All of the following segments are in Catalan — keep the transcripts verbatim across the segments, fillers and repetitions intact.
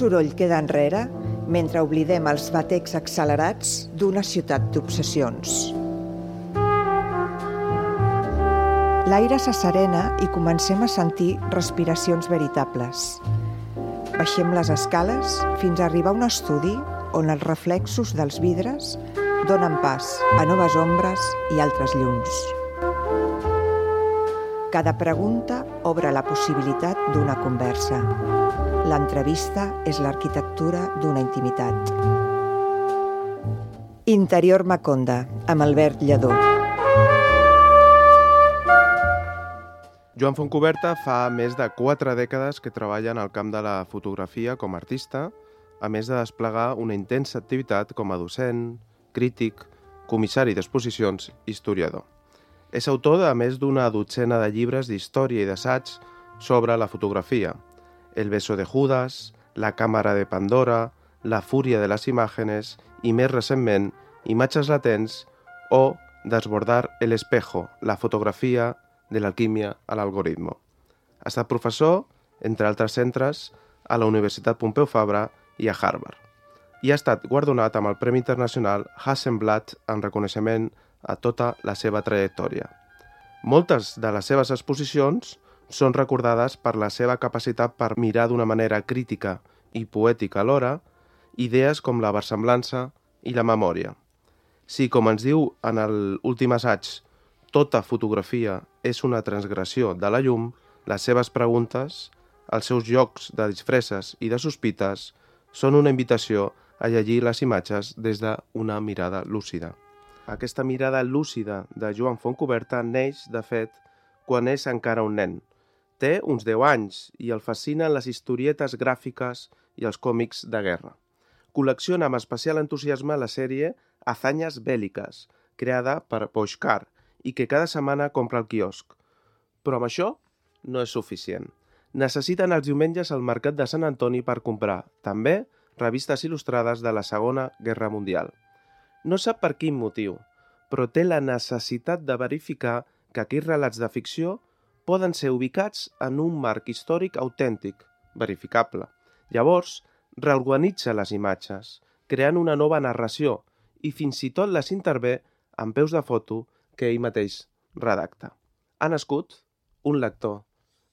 soroll queda enrere mentre oblidem els batecs accelerats d'una ciutat d'obsessions. L'aire s'asserena i comencem a sentir respiracions veritables. Baixem les escales fins a arribar a un estudi on els reflexos dels vidres donen pas a noves ombres i altres llums. Cada pregunta obre la possibilitat d'una conversa. L'entrevista és l'arquitectura d'una intimitat. Interior Maconda, amb Albert Lledó. Joan Fontcuberta fa més de quatre dècades que treballa en el camp de la fotografia com a artista, a més de desplegar una intensa activitat com a docent, crític, comissari d'exposicions i historiador. És autor de més d'una dotzena de llibres d'història i d'assaig sobre la fotografia. El beso de Judas, La càmera de Pandora, La fúria de les imàgenes i, més recentment, Imatges latents o Desbordar el espejo, la fotografia de l'alquímia a l'algoritmo. Ha estat professor, entre altres centres, a la Universitat Pompeu Fabra i a Harvard. I ha estat guardonat amb el Premi Internacional Hasselblad en reconeixement a tota la seva trajectòria. Moltes de les seves exposicions són recordades per la seva capacitat per mirar d'una manera crítica i poètica alhora idees com la versemblança i la memòria. Si, com ens diu en l'últim assaig, tota fotografia és una transgressió de la llum, les seves preguntes, els seus jocs de disfresses i de sospites, són una invitació a llegir les imatges des d'una mirada lúcida. Aquesta mirada lúcida de Joan Fontcuberta neix, de fet, quan és encara un nen. Té uns deu anys i el fascinen les historietes gràfiques i els còmics de guerra. Col·lecciona amb especial entusiasme la sèrie Hazañas Bélicas, creada per Boixcar, i que cada setmana compra al quiosc. Però amb això no és suficient. Necessiten els diumenges al Mercat de Sant Antoni per comprar, també, revistes il·lustrades de la Segona Guerra Mundial. No sap per quin motiu, però té la necessitat de verificar que aquells relats de ficció poden ser ubicats en un marc històric autèntic, verificable. Llavors, reorganitza les imatges, creant una nova narració i fins i tot les intervé amb peus de foto que ell mateix redacta. Ha nascut un lector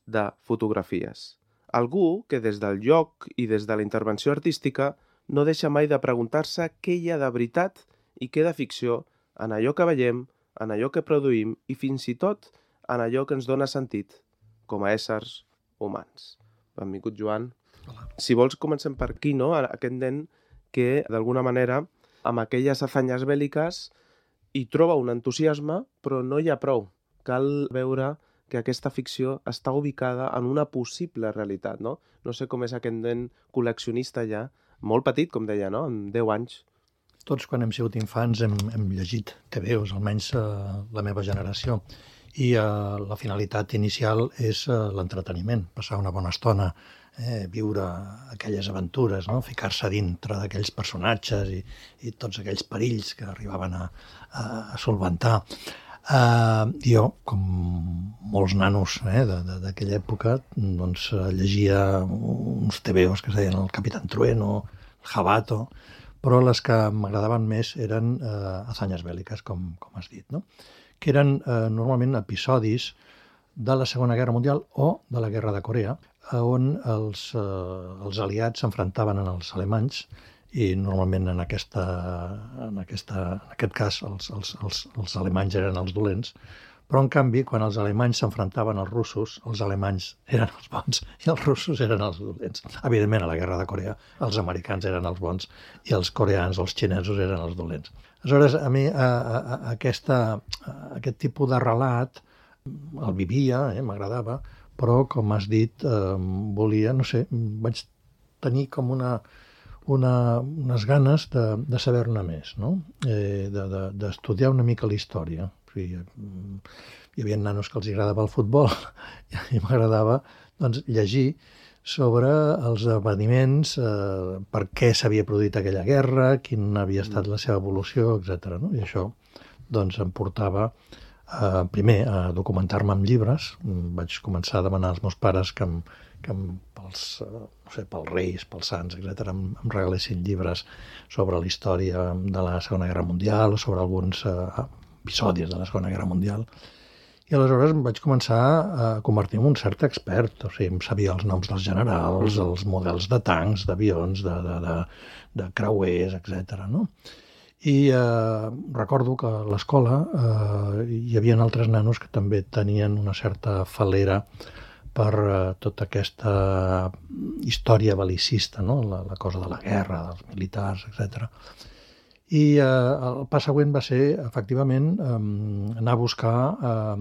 de fotografies. Algú que des del lloc i des de la intervenció artística no deixa mai de preguntar-se què hi ha de veritat i què de ficció en allò que veiem, en allò que produïm i fins i tot en allò que ens dona sentit com a éssers humans. Benvingut, Joan. Hola. Si vols, comencem per aquí, no? Aquest nen que, d'alguna manera, amb aquelles hazañas bèl·liques hi troba un entusiasme, però no hi ha prou. Cal veure que aquesta ficció està ubicada en una possible realitat, no? No sé com és aquest nen col·leccionista ja, molt petit, com deia, no? Amb deu anys. Tots, quan hem sigut infants, hem, hem llegit te ve os, almenys eh, la meva generació. I eh, la finalitat inicial és eh, l'entreteniment, passar una bona estona, eh, viure aquelles aventures, no? Ficar-se dintre d'aquells personatges i, i tots aquells perills que arribaven a, a, a solventar. Uh, jo, com molts nanos eh, d'aquella època, doncs, llegia uns tebeos que es deien el Capitán Trueno, el Jabato, però les que m'agradaven més eren uh, hazañas bèl·liques, com, com has dit, no? Que eren uh, normalment episodis de la Segona Guerra Mundial o de la Guerra de Corea, on els, uh, els aliats s'enfrontaven als alemanys i normalment en, aquesta, en, aquesta, en aquest cas els, els, els, els alemanys eren els dolents, però en canvi quan els alemanys s'enfrontaven als russos, els alemanys eren els bons i els russos eren els dolents. Evidentment a la Guerra de Corea els americans eren els bons i els coreans o els xinesos eren els dolents. Aleshores, a mi a, a, aquesta, a aquest tipus de relat el vivia, eh, m'agradava, però com has dit, eh, volia, no sé, vaig tenir com una... Una, unes ganes de, de saber-ne més, no? eh, d'estudiar de, de, una mica la història. O sigui, hi havia nanos que els agradava el futbol i m'agradava doncs, llegir sobre els esdeveniments, eh, per què s'havia produït aquella guerra, quin havia estat la seva evolució, etcètera. No? I això doncs, em portava eh, primer a documentar-me amb llibres. Vaig començar a demanar als meus pares que em, que pels, no sé, pels reis, pels sants, etcètera, em, em regalessin llibres sobre la història de la Segona Guerra Mundial o sobre alguns eh, episodis de la Segona Guerra Mundial. I aleshores em vaig començar a convertir en un cert expert, o sigui, em sabia els noms dels generals, els models de tancs, d'avions, de, de, de, de creuers, etcètera, no? I eh, recordo que a l'escola eh, hi havia altres nanos que també tenien una certa falera per eh, tota aquesta història bel·licista, no? la, la cosa de la guerra, dels militars, etcètera. I eh, el pas següent va ser, efectivament, eh, anar a buscar eh,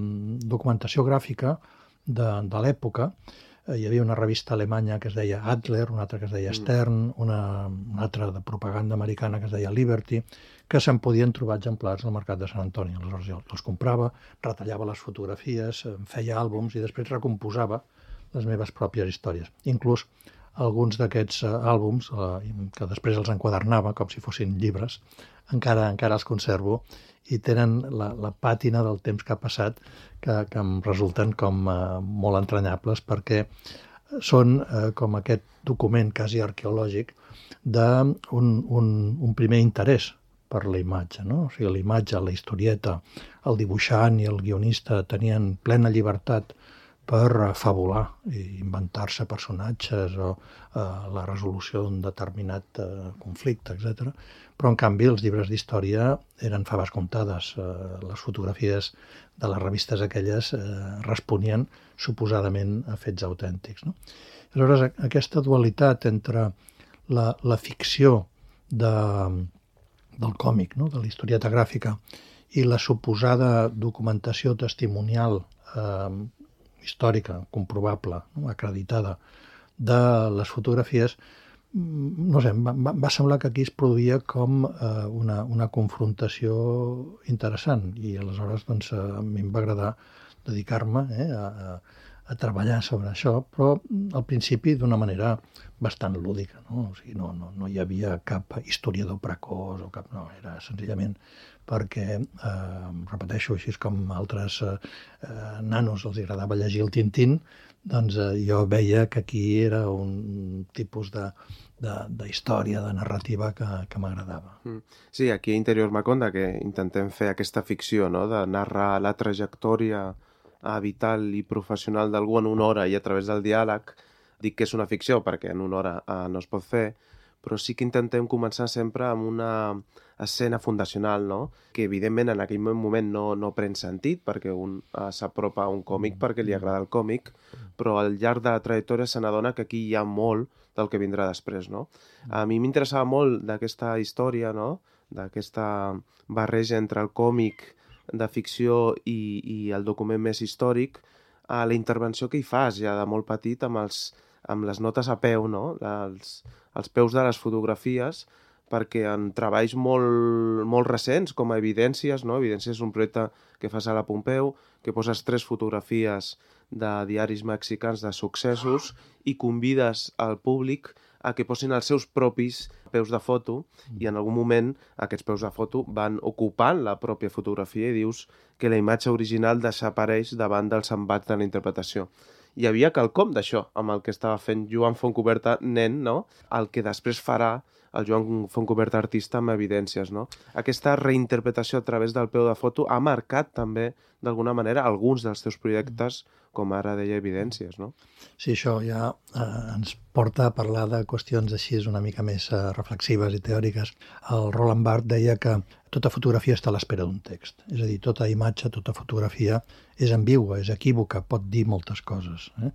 documentació gràfica de, de l'època. Hi havia una revista alemanya que es deia Adler, una altra que es deia Stern, una, una altra de propaganda americana que es deia Liberty, que se'n podien trobar exemplars al mercat de Sant Antoni. Aleshores jo els comprava, retallava les fotografies, feia àlbums i després recomposava les meves pròpies històries. Inclús alguns d'aquests àlbums, eh, que després els enquadernava com si fossin llibres, encara encara els conservo i tenen la, la pàtina del temps que ha passat que, que em resulten com eh, molt entranyables perquè són eh, com aquest document quasi arqueològic d'un un, un primer interès per la imatge, no? O sigui, la imatge, la historieta, el dibuixant i el guionista tenien plena llibertat per fabular i inventar-se personatges o eh, la resolució d'un determinat eh, conflicte, etcètera. Però, en canvi, els llibres d'història eren faves comptades. Eh, les fotografies de les revistes aquelles eh, responien suposadament a fets autèntics, no? Aleshores, aquesta dualitat entre la, la ficció de, del còmic, no? De la historieta gràfica, i la suposada documentació testimonial eh, històrica, comprovable, no? Acreditada, de les fotografies, no sé, va, va semblar que aquí es produïa com eh, una, una confrontació interessant i aleshores doncs, a mi em va agradar dedicar-me eh, a, a treballar sobre això, però al principi d'una manera bastant lúdica, no? O sigui, no, no, no hi havia cap historiador precoç o cap... No, era senzillament perquè, eh, repeteixo, així com altres eh, nanos els agradava llegir el Tintín, doncs eh, jo veia que aquí era un tipus de, de, de història, de narrativa que, que m'agradava. Sí, aquí a Interior Maconda, que intentem fer aquesta ficció, no?, de narrar la trajectòria vital i professional d'algú en una hora i a través del diàleg. Dic que és una ficció perquè en una hora eh, no es pot fer, però sí que intentem començar sempre amb una escena fundacional, no?, que evidentment en aquell moment no, no pren sentit perquè un eh, s'apropa a un còmic perquè li agrada el còmic, però al llarg de la trajectòria se n'adona que aquí hi ha molt del que vindrà després, no? A mi m'interessava molt d'aquesta història, no?, d'aquesta barreja entre el còmic de ficció i, i el document més històric, a la intervenció que hi fas ja de molt petit amb, els, amb les notes a peu, no?, els, els peus de les fotografies, perquè en treballs molt, molt recents, com a Evidències, no? Evidències és un projecte que fas a la Pompeu, que poses tres fotografies de diaris mexicans de successos i convides al públic a que posin els seus propis peus de foto i en algun moment aquests peus de foto van ocupant la pròpia fotografia i dius que la imatge original desapareix davant dels embats de la interpretació. Hi havia quelcom d'això amb el que estava fent Joan Fontcuberta, nen, no?, el que després farà el Joan Fontcuberta artista amb Evidències, no? Aquesta reinterpretació a través del peu de foto ha marcat també, d'alguna manera, alguns dels teus projectes, com ara deia Evidències, no? Sí, això ja eh, ens porta a parlar de qüestions així una mica més eh, reflexives i teòriques. El Roland Barthes deia que tota fotografia està a l'espera d'un text. És a dir, tota imatge, tota fotografia és ambigua, és equívoca, pot dir moltes coses. Eh?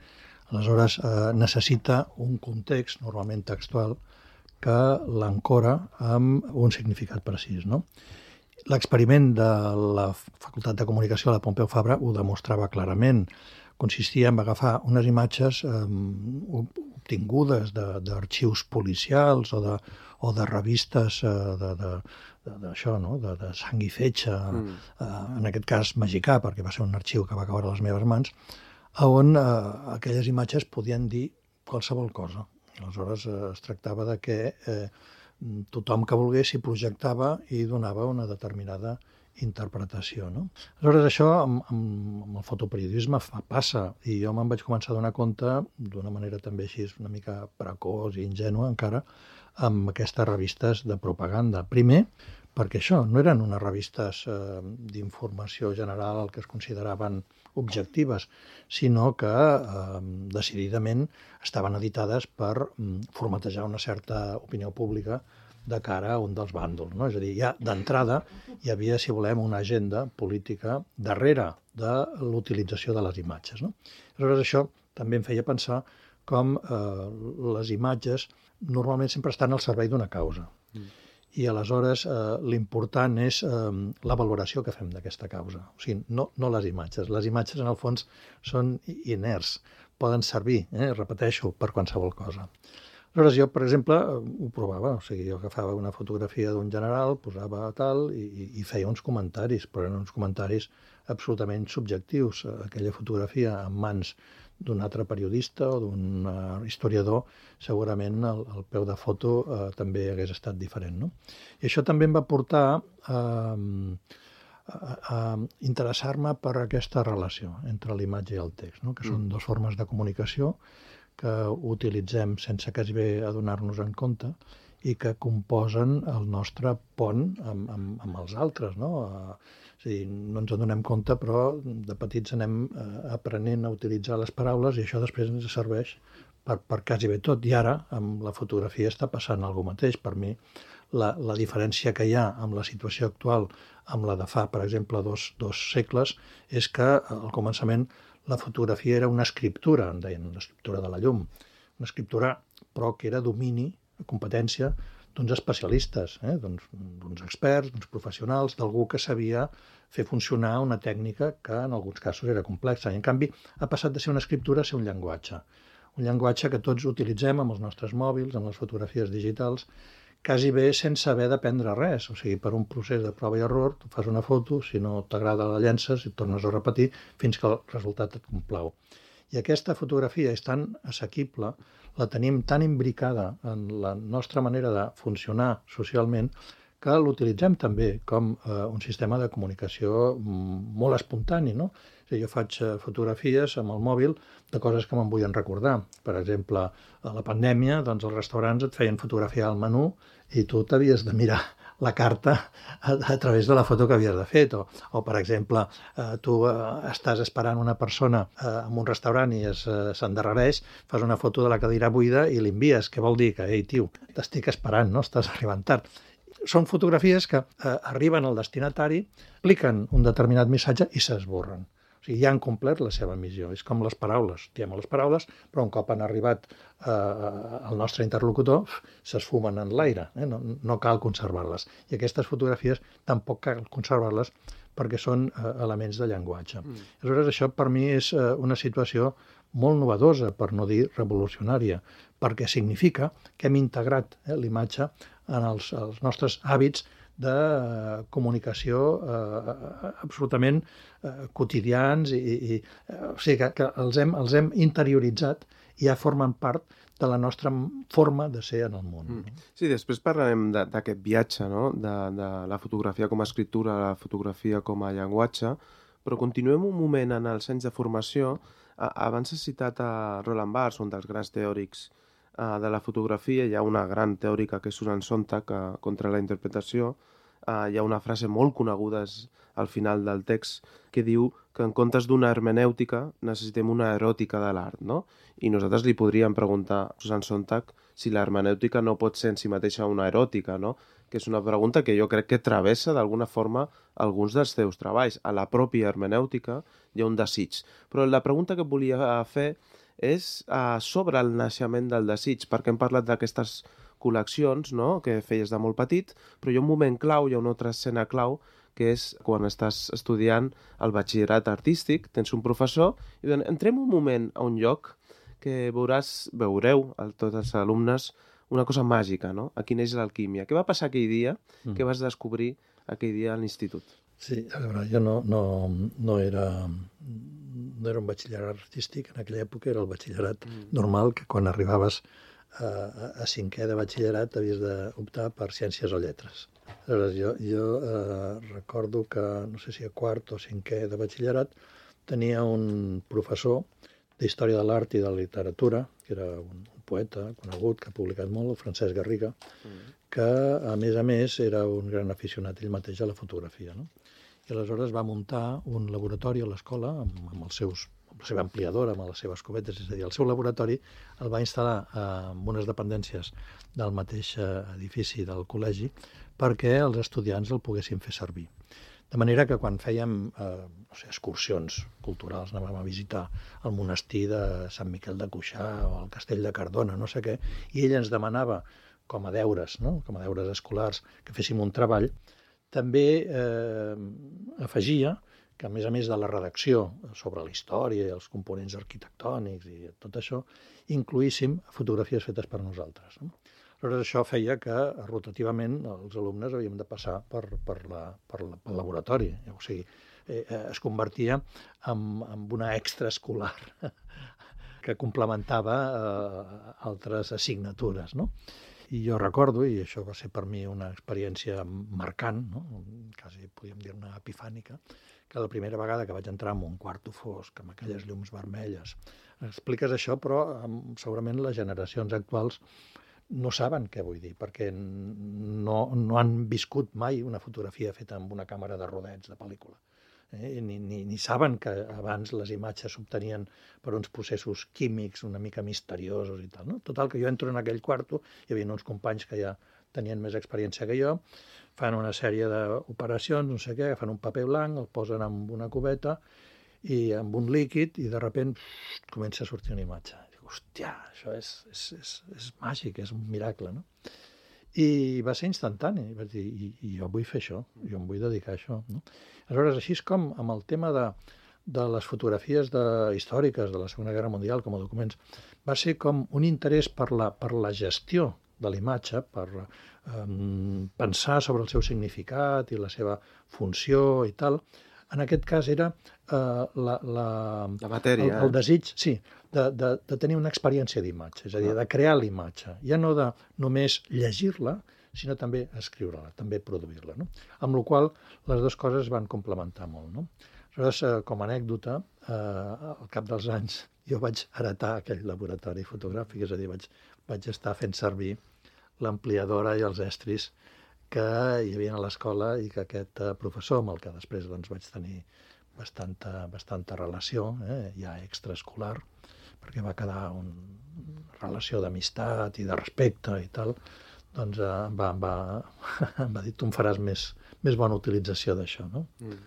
Aleshores, eh, necessita un context, normalment textual, que l'ancora amb un significat precís, no? L'experiment de la Facultat de Comunicació de la Pompeu Fabra ho demostrava clarament. Consistia en agafar unes imatges eh, obtingudes d'arxius policials o de, o de revistes eh, de, de, de, d'això, no?, de, de sang i fetge, mm. eh, en aquest cas mexicà, perquè va ser un arxiu que va caure a les meves mans, on eh, aquelles imatges podien dir qualsevol cosa. Aleshores eh, es tractava de que eh, tothom que volgués s'hi projectava i donava una determinada interpretació, no? Aleshores, això amb, amb, amb el fotoperiodisme fa, passa, i jo me'n vaig començar a donar compte, d'una manera també així una mica precoç i ingènua encara, amb aquestes revistes de propaganda. Primer, perquè això no eren unes revistes eh, d'informació general que es consideraven objectives, sinó que eh, decididament estaven editades per mm, formatejar una certa opinió pública de cara a un dels bàndols, no? És a dir, ja d'entrada hi havia, si volem, una agenda política darrere de l'utilització de les imatges, no? Aleshores, això també em feia pensar com eh, les imatges normalment sempre estan al servei d'una causa. Mm. I aleshores eh, l'important és eh, la valoració que fem d'aquesta causa. O sigui, no, no les imatges. Les imatges, en el fons, són inerts, poden servir, eh, repeteixo, per qualsevol cosa. Aleshores, jo, per exemple, ho provava, o sigui, jo agafava una fotografia d'un general, posava tal, i, i feia uns comentaris, però eren uns comentaris absolutament subjectius. Aquella fotografia en mans d'un altre periodista o d'un uh, historiador, segurament el, el peu de foto uh, també hagués estat diferent, no? I això també em va portar uh, a, a interessar-me per aquesta relació entre l'imatge i el text, no? Que són dues formes de comunicació que utilitzem sense quasi bé adonar-nos en compte i que composen el nostre pont amb, amb, amb els altres, no? És a dir, no ens en donem compte, però de petits anem eh, aprenent a utilitzar les paraules i això després ens serveix per, per quasi bé tot. I ara, amb la fotografia, està passant alguna mateix. Per mi, la, la diferència que hi ha amb la situació actual, amb la de fa, per exemple, dos, dos segles, és que al començament la fotografia era una escriptura, en deien, una escriptura de la llum, una escriptura però que era domini, competència d'uns especialistes, eh? d'uns experts, d'uns professionals, d'algú que sabia fer funcionar una tècnica que en alguns casos era complexa. I en canvi ha passat de ser una escriptura a ser un llenguatge. Un llenguatge que tots utilitzem amb els nostres mòbils, amb les fotografies digitals, quasi bé sense haver d'aprendre res. O sigui, per un procés de prova i error, tu fas una foto, si no t'agrada la llences i tornes a repetir fins que el resultat et complau. I aquesta fotografia és tan assequible, la tenim tan imbricada en la nostra manera de funcionar socialment, que l'utilitzem també com eh, un sistema de comunicació molt espontani, no? O sigui, jo faig fotografies amb el mòbil de coses que me'n vull recordar. Per exemple, a la pandèmia, doncs els restaurants et feien fotografiar el menú i tu t'havies de mirar la carta a, a través de la foto que havies de fer. O, o per exemple, eh, tu eh, estàs esperant una persona eh, en un restaurant i es, eh, s'endarrereix, fas una foto de la cadira buida i l'envies. Què vol dir? Que, ei, tio, t'estic esperant, no? Estàs arribant tard. Són fotografies que eh, arriben al destinatari, cliquen un determinat missatge i s'esborren. O sigui, ja han complert la seva missió. És com les paraules. Diem les paraules, però un cop han arribat eh, al nostre interlocutor, s'esfumen en l'aire. Eh? No, no cal conservar-les. I aquestes fotografies tampoc cal conservar-les perquè són eh, elements de llenguatge. Mm. Aleshores, això per mi és eh, una situació molt novedosa, per no dir revolucionària, perquè significa que hem integrat eh, l'imatge en els, els nostres hàbits de eh, comunicació eh, absolutament eh, quotidians, i, i, eh, o sigui que, que els, hem, els hem interioritzat i ja formen part de la nostra forma de ser en el món. Mm. Sí, després parlarem d'aquest viatge, no? de, de la fotografia com a escriptura, la fotografia com a llenguatge, però continuem un moment en els anys de formació. Abans has citat a Roland Barthes, un dels grans teòrics de la fotografia. Hi ha una gran teòrica que és Susan Sontag contra la interpretació. Hi ha una frase molt coneguda al final del text que diu que en comptes d'una hermenèutica necessitem una eròtica de l'art, no? I nosaltres li podríem preguntar a Susan Sontag si l'hermenèutica no pot ser en si mateixa una eròtica, no? Que és una pregunta que jo crec que travessa d'alguna forma alguns dels teus treballs. A la pròpia hermenèutica hi ha un desig. Però la pregunta que volia fer és uh, sobre el naixement del desig, perquè hem parlat d'aquestes col·leccions, no?, que feies de molt petit, però hi ha un moment clau, hi ha una altra escena clau, que és quan estàs estudiant el batxillerat artístic, tens un professor, i diuen, entrem un moment a un lloc que veuràs, veureu, a tots els alumnes, una cosa màgica, no? Aquí neix l'alquímia. Què va passar aquell dia? Mm. Què vas descobrir aquell dia a l'institut? Sí, a veure, jo no, no, no, era, no era un batxillerat artístic, en aquella època era el batxillerat mm. normal, que quan arribaves a, a cinquè de batxillerat havies d'optar per ciències o lletres. Aleshores, jo, jo eh, recordo que, no sé si a quart o cinquè de batxillerat, tenia un professor d'Història de l'Art i de la Literatura, que era un poeta conegut, que ha publicat molt, el Francesc Garriga, mm. que, a més a més, era un gran aficionat ell mateix a la fotografia. No? I aleshores va muntar un laboratori a l'escola amb, amb, els seus, amb la seva ampliadora, amb les seves cubetes, és a dir, el seu laboratori el va instal·lar eh, en unes dependències del mateix edifici del col·legi perquè els estudiants el poguessin fer servir. De manera que quan fèiem eh, no sé, excursions culturals, anàvem a visitar el monestir de Sant Miquel de Cuixà o el castell de Cardona, no sé què, i ell ens demanava, com a deures, no? com a deures escolars, que féssim un treball, també eh, afegia que, a més a més de la redacció sobre la història i els components arquitectònics i tot això, incloíssim fotografies fetes per nosaltres. No? Aleshores, això feia que, rotativament, els alumnes havíem de passar per, per, la, per la, pel laboratori. O sigui, eh, es convertia en, en una extraescolar que complementava eh, altres assignatures, no? I jo recordo, i això va ser per mi una experiència marcant, no? Quasi podríem dir una epifànica, que la primera vegada que vaig entrar en un quarto fosc, amb aquelles llums vermelles, expliques això, però segurament les generacions actuals no saben què vull dir, perquè no, no han viscut mai una fotografia feta amb una càmera de rodets de pel·lícula. Eh? Ni, ni, ni saben que abans les imatges s'obtenien per uns processos químics una mica misteriosos i tal. No? Total, que jo entro en aquell quarto, hi havia uns companys que ja tenien més experiència que jo, fan una sèrie d'operacions, no sé què, agafen un paper blanc, el posen en una cubeta i amb un líquid i de sobte comença a sortir una imatge. Hòstia, això és, és, és, és màgic, és un miracle, no? I va ser instantani, vaig dir, i, i jo vull fer això, jo em vull dedicar a això. No? Aleshores, així és com amb el tema de, de les fotografies de, històriques de la Segona Guerra Mundial com a documents, va ser com un interès per la, per la gestió de la imatge, per um, pensar sobre el seu significat i la seva funció i tal. En aquest cas era eh, la, la, la matèria, el, el desig, sí, de, de, de tenir una experiència d'imatge, és a dir, de crear l'imatge, ja no de només llegir-la, sinó també escriure-la, també produir-la. No? Amb la qual les dues coses van complementar molt. No? Aleshores, eh, com a anècdota, eh, al cap dels anys jo vaig heretar aquell laboratori fotogràfic, és a dir, vaig, vaig estar fent servir l'ampliadora i els estris que hi havia a l'escola i que aquest professor, amb el que després doncs, vaig tenir bastanta, bastanta relació, eh, ja extraescolar, perquè va quedar una relació d'amistat i de respecte i tal, doncs eh, va, va, va dir, tu em faràs més, més bona utilització d'això. No? Mm.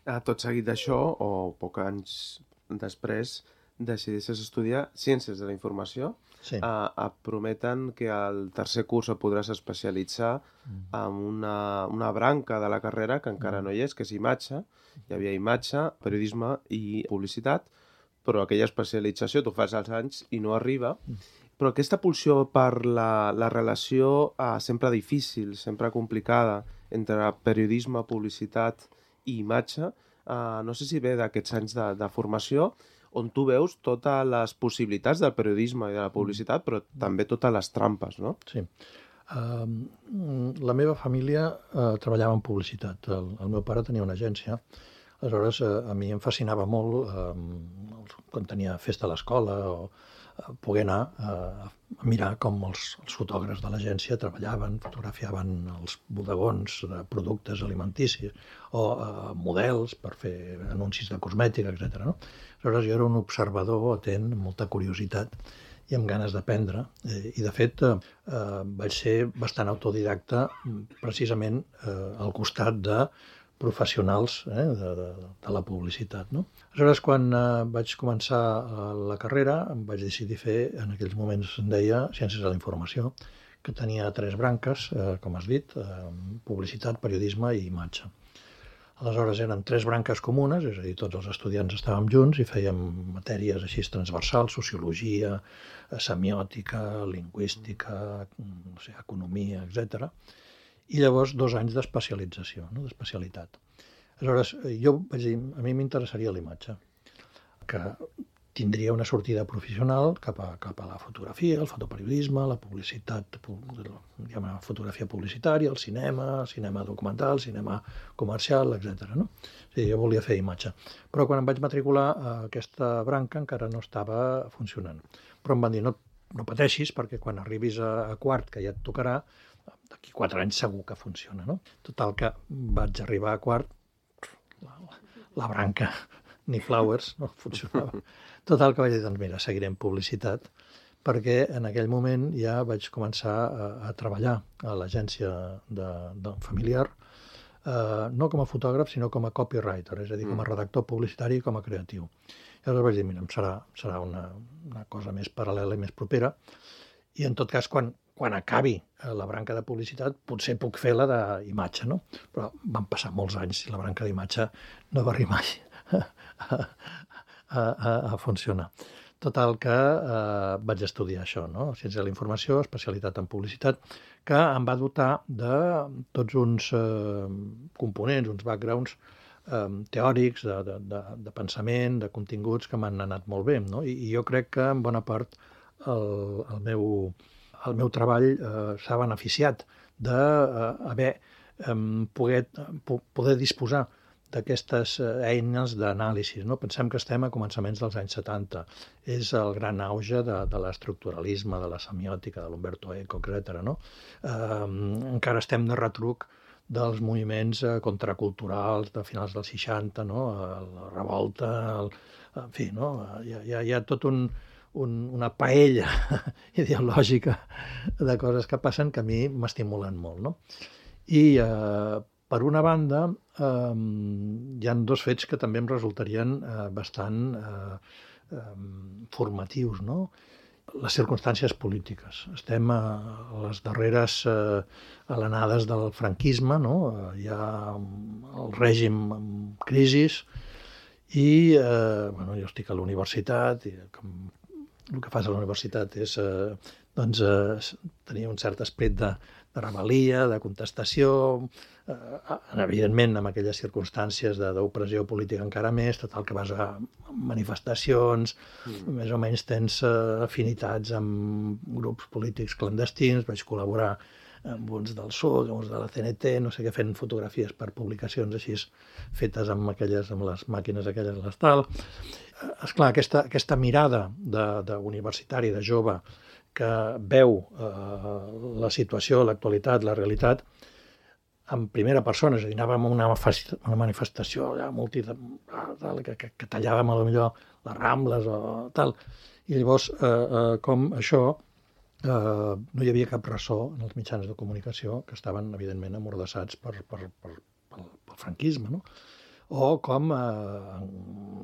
Ah, tot seguit d'això, o poc anys després, decidisses estudiar Ciències de la Informació. Sí. Uh, et prometen que al tercer curs et podràs especialitzar mm. en una, una branca de la carrera que encara mm. no hi és, que és imatge. Hi havia imatge, periodisme i publicitat, però aquella especialització tu fas als anys i no arriba. Mm. Però aquesta pulsió per la, la relació uh, sempre difícil, sempre complicada, entre periodisme, publicitat i imatge, uh, no sé si ve d'aquests anys de, de formació, on tu veus totes les possibilitats del periodisme i de la publicitat, però també totes les trampes, no? Sí. Uh, la meva família uh, treballava en publicitat. El, el meu pare tenia una agència. Aleshores, uh, a mi em fascinava molt, uh, quan tenia festa a l'escola, o uh, poder anar uh, a mirar com els, els fotògrafs de l'agència treballaven, fotografiaven els bodegons de productes alimenticis o uh, models per fer anuncis de cosmètica, etcètera. No? Aleshores, jo era un observador atent, amb molta curiositat i amb ganes d'aprendre. I, de fet, eh, vaig ser bastant autodidacta precisament eh, al costat de professionals eh, de, de, de la publicitat. No? Aleshores, quan eh, vaig començar la carrera, em vaig decidir fer, en aquells moments se'n deia, Ciències de la Informació, que tenia tres branques, eh, com has dit, eh, publicitat, periodisme i imatge. Aleshores eren tres branques comunes, és a dir, tots els estudiants estàvem junts i fèiem matèries així transversals, sociologia, semiòtica, lingüística, no sé, economia, etcètera. I llavors dos anys d'especialització, no? D'especialitat. Aleshores, jo vaig dir, a mi m'interessaria la imatge, que tindria una sortida professional cap a, cap a la fotografia, el fotoperiodisme, la publicitat, diguem, la fotografia publicitària, el cinema, cinema documental, cinema comercial, etcètera. No? O sigui, jo volia fer imatge. Però quan em vaig matricular, aquesta branca encara no estava funcionant. Però em van dir, no, no pateixis, perquè quan arribis a, a quart, que ja et tocarà, d'aquí quatre anys segur que funciona. No? Total que vaig arribar a quart, la, la branca, ni flowers, no funcionava. Total que vaig dir, doncs mira, seguirem publicitat, perquè en aquell moment ja vaig començar a, a treballar a l'agència de, de familiar, eh, no com a fotògraf, sinó com a copywriter, és a dir, com a redactor publicitari i com a creatiu. I aleshores vaig dir, mira, serà, serà una, una cosa més paral·lela i més propera, i en tot cas, quan, quan acabi la branca de publicitat, potser puc fer la d'imatge, no? Però van passar molts anys i la branca d'imatge no va arribar mai a, a, a, a funcionar. Total que eh, vaig estudiar això, no? Ciència de la informació, especialitat en publicitat, que em va dotar de tots uns eh, components, uns backgrounds eh, teòrics, de, de, de, de pensament, de continguts que m'han anat molt bé, no? I, I jo crec que en bona part el, el, meu, el meu treball eh, s'ha beneficiat d'haver eh, poder, poder disposar d'aquestes eines d'anàlisi. No? Pensem que estem a començaments dels anys setanta. És el gran auge de, de l'estructuralisme, de la semiòtica, de l'Umberto Eco, etcètera. No? Eh, encara estem de retruc dels moviments contraculturals de finals dels seixanta, no? La revolta, el, en fi, no? hi, ha, hi ha tot un, un, una paella ideològica de coses que passen que a mi m'estimulen molt. No? I eh, per una banda, eh, hi ha dos fets que també em resultarien eh, bastant eh, eh, formatius, no? Les circumstàncies polítiques. Estem a les darreres eh, alenades del franquisme, no? Hi ha el règim en crisi i eh, bueno, jo estic a la universitat i com el que fas a la universitat és eh, doncs, eh, tenir un cert esperit de, de rebel·lia, de contestació, eh, evidentment amb aquelles circumstàncies d'opressió política encara més, tot el que vas a manifestacions, mm. més o menys tens eh, afinitats amb grups polítics clandestins, vaig col·laborar amb uns del Sud, uns de la C N T, no sé què, fent fotografies per publicacions així fetes amb aquelles, amb les màquines aquelles de l'estal. Esclar, aquesta, aquesta mirada d'universitari, de, de jove, que veu eh, la situació, l'actualitat, la realitat, en primera persona, és a dir, anàvem a una, una manifestació allà, multi, tal, que, que, que tallàvem a lo millor les Rambles o tal, i llavors eh, eh, com això eh, no hi havia cap ressò en els mitjans de comunicació que estaven, evidentment, amordassats per, per, per, pel, pel franquisme, no? O com, eh,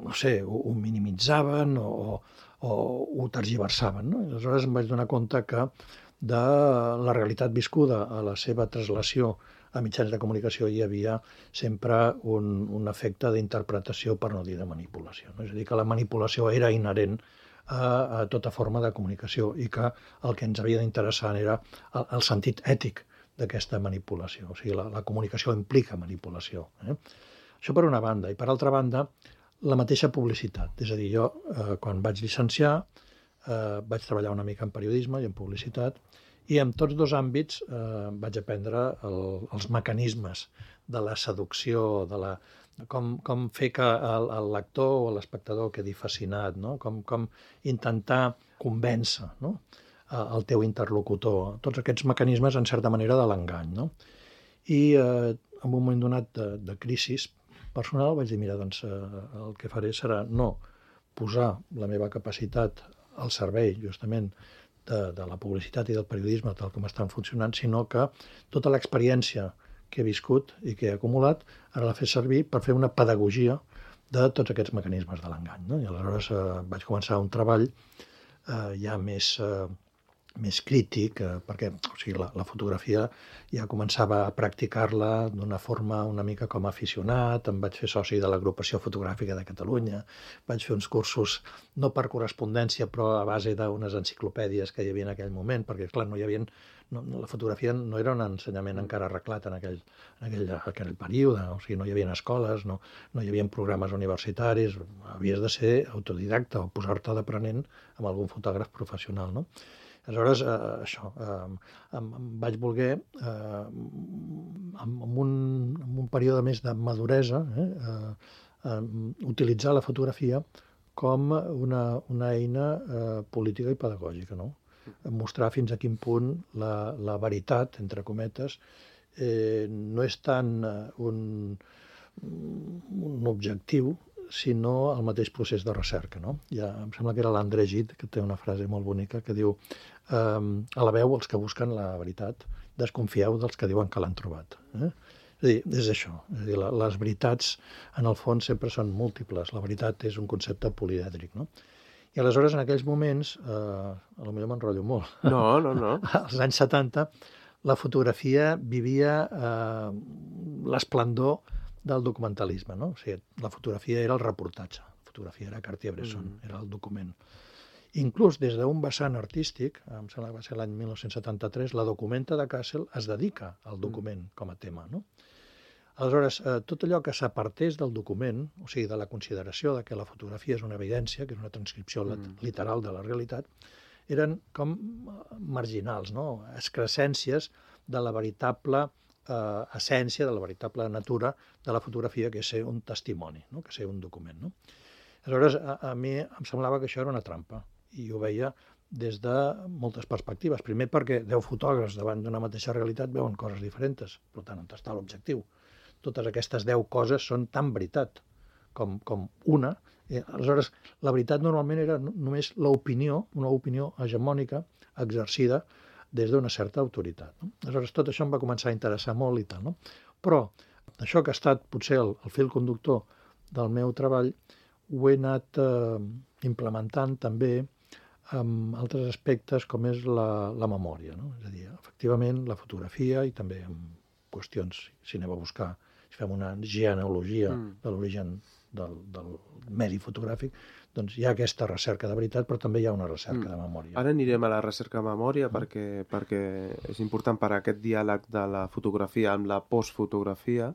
no sé, ho, ho minimitzaven o, o ho tergiversaven, no? I aleshores em vaig donar compte que de la realitat viscuda a la seva translació a mitjans de comunicació hi havia sempre un, un efecte d'interpretació, per no dir de manipulació. No? És a dir, que la manipulació era inherent a, a tota forma de comunicació i que el que ens havia d'interessar era el, el sentit ètic d'aquesta manipulació. O sigui, la, la comunicació implica manipulació. Eh? Això per una banda. I per altra banda, la mateixa publicitat. És a dir, jo, eh, quan vaig llicenciar, eh, vaig treballar una mica en periodisme i en publicitat, i en tots dos àmbits eh, vaig aprendre el, els mecanismes de la seducció, de la, com, com fer que el, el lector o l'espectador quedi fascinat, no? com, com intentar convèncer, no? el teu interlocutor. Tots aquests mecanismes, en certa manera, de l'engany. No? I eh, en un moment donat de, de crisi personal vaig dir, mira, doncs eh, el que faré serà no posar la meva capacitat al servei, justament, de, de la publicitat i del periodisme tal com estan funcionant, sinó que tota l'experiència que he viscut i que he acumulat ara la fes servir per fer una pedagogia de tots aquests mecanismes de l'engany. No? I aleshores eh, vaig començar un treball eh, ja més, eh, més crític, eh, perquè o sigui, la, la fotografia ja començava a practicar-la d'una forma una mica com a aficionat, em vaig fer soci de l'Agrupació Fotogràfica de Catalunya, vaig fer uns cursos, no per correspondència, però a base d'unes enciclopèdies que hi havia en aquell moment, perquè, clar, no hi havia, no, la fotografia no era un ensenyament encara arreglat en aquell, en aquell, aquell període, o sigui, no hi havia escoles, no, no hi havia programes universitaris, havies de ser autodidacta o posar-te d'aprenent amb algun fotògraf professional, no? Aleshores, eh, això, eh, em, em vaig voler, eh, en, un, en un període més de maduresa, eh, eh, eh, utilitzar la fotografia com una, una eina eh, política i pedagògica, no? Mostrar fins a quin punt la, la veritat, entre cometes, eh, no és tant un, un objectiu, sinó el mateix procés de recerca, no? Ja, em sembla que era l'André Gide, que té una frase molt bonica, que diu eh, alabeu els que busquen la veritat, desconfieu dels que diuen que l'han trobat. Eh? És a dir, és això. És a dir, la, les veritats, en el fons, sempre són múltiples. La veritat és un concepte polièdric, no? I aleshores, en aquells moments, eh, potser m'enrotllo molt, no, no, no. als anys setanta, la fotografia vivia eh, l'esplendor del documentalisme, no? O sigui, la fotografia era el reportatge, la fotografia era Cartier-Bresson, mm. era el document. Inclús des d'un vessant artístic, em sembla que va ser l'any mil nou-cents setanta-tres, la Documenta de Kassel es dedica al document mm. com a tema, no? Aleshores, eh, tot allò que s'apartés del document, o sigui, de la consideració de que la fotografia és una evidència, que és una transcripció mm. literal de la realitat, eren com marginals, no? Excrescències de la veritable eh, essència, de la veritable natura de la fotografia, que és ser un testimoni, no? Que és ser un document, no? Aleshores, a, a mi em semblava que això era una trampa, i ho veia des de moltes perspectives. Primer perquè deu fotògrafs davant d'una mateixa realitat veuen coses diferents, per tant, on està l'objectiu? Totes aquestes deu coses són tan veritat com, com una. Eh, aleshores, la veritat normalment era només l'opinió, una opinió hegemònica exercida des d'una certa autoritat, no? Aleshores, tot això em va començar a interessar molt i tal, no? Però això que ha estat potser el, el fil conductor del meu treball ho he anat eh, implementant també amb altres aspectes com és la, la memòria, no? És a dir, efectivament, la fotografia i també amb qüestions, si anem a buscar, si fem una genealogia mm. de l'origen del, del medi fotogràfic, doncs hi ha aquesta recerca de veritat, però també hi ha una recerca mm. de memòria. Ara anirem a la recerca de memòria mm. perquè, perquè és important per a aquest diàleg de la fotografia amb la postfotografia,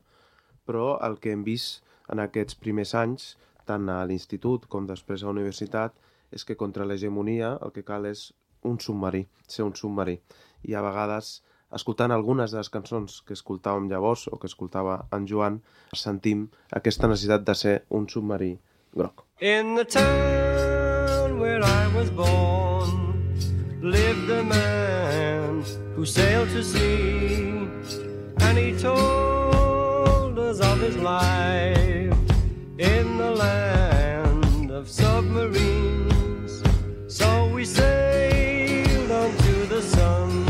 però el que hem vist en aquests primers anys, tant a l'institut com després a la universitat, és que contra l'hegemonia el que cal és un submarí, ser un submarí. I a vegades, escoltant algunes de les cançons que escoltàvem llavors o que escoltava en Joan, sentim aquesta necessitat de ser un submarí groc. In the town where I was born lived a man who sailed to sea, and he told us of his life in the land of submarines. So we sailed on to the sun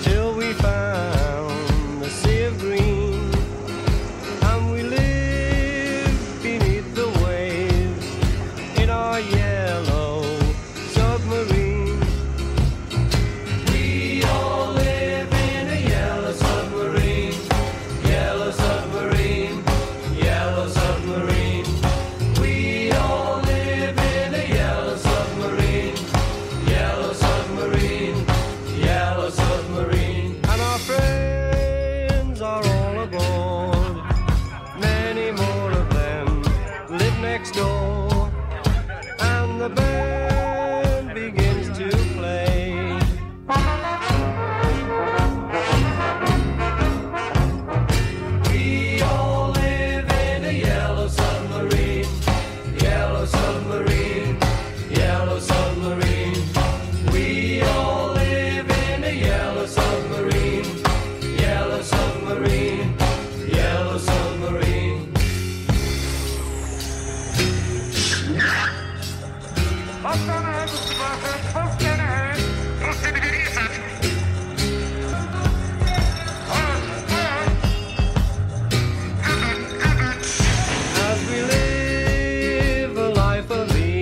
till we found the sea of green, and we lived beneath the waves in our yellow submarine. We all live in a yellow submarine, yellow submarine, yellow submarine. We all live in a yellow submarine, yellow submarine, yellow submarine. And our friends are all aboard, many more of them live next door, and the band begins to play. We all live in a yellow submarine, yellow submarine, yellow submarine. We all live in a yellow submarine, yellow submarine, yellow submarine. As we live a life of ease,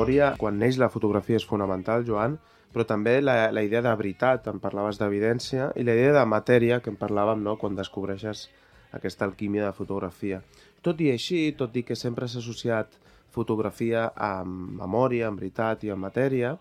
memòria, quan neix la fotografia, és fonamental, Joan, però també la, la idea de veritat, en parlaves d'evidència, i la idea de matèria, que en parlàvem, no?, quan descobreixes aquesta alquímia de fotografia. Tot i així, tot i que sempre s'ha associat fotografia amb memòria, amb veritat i amb matèria,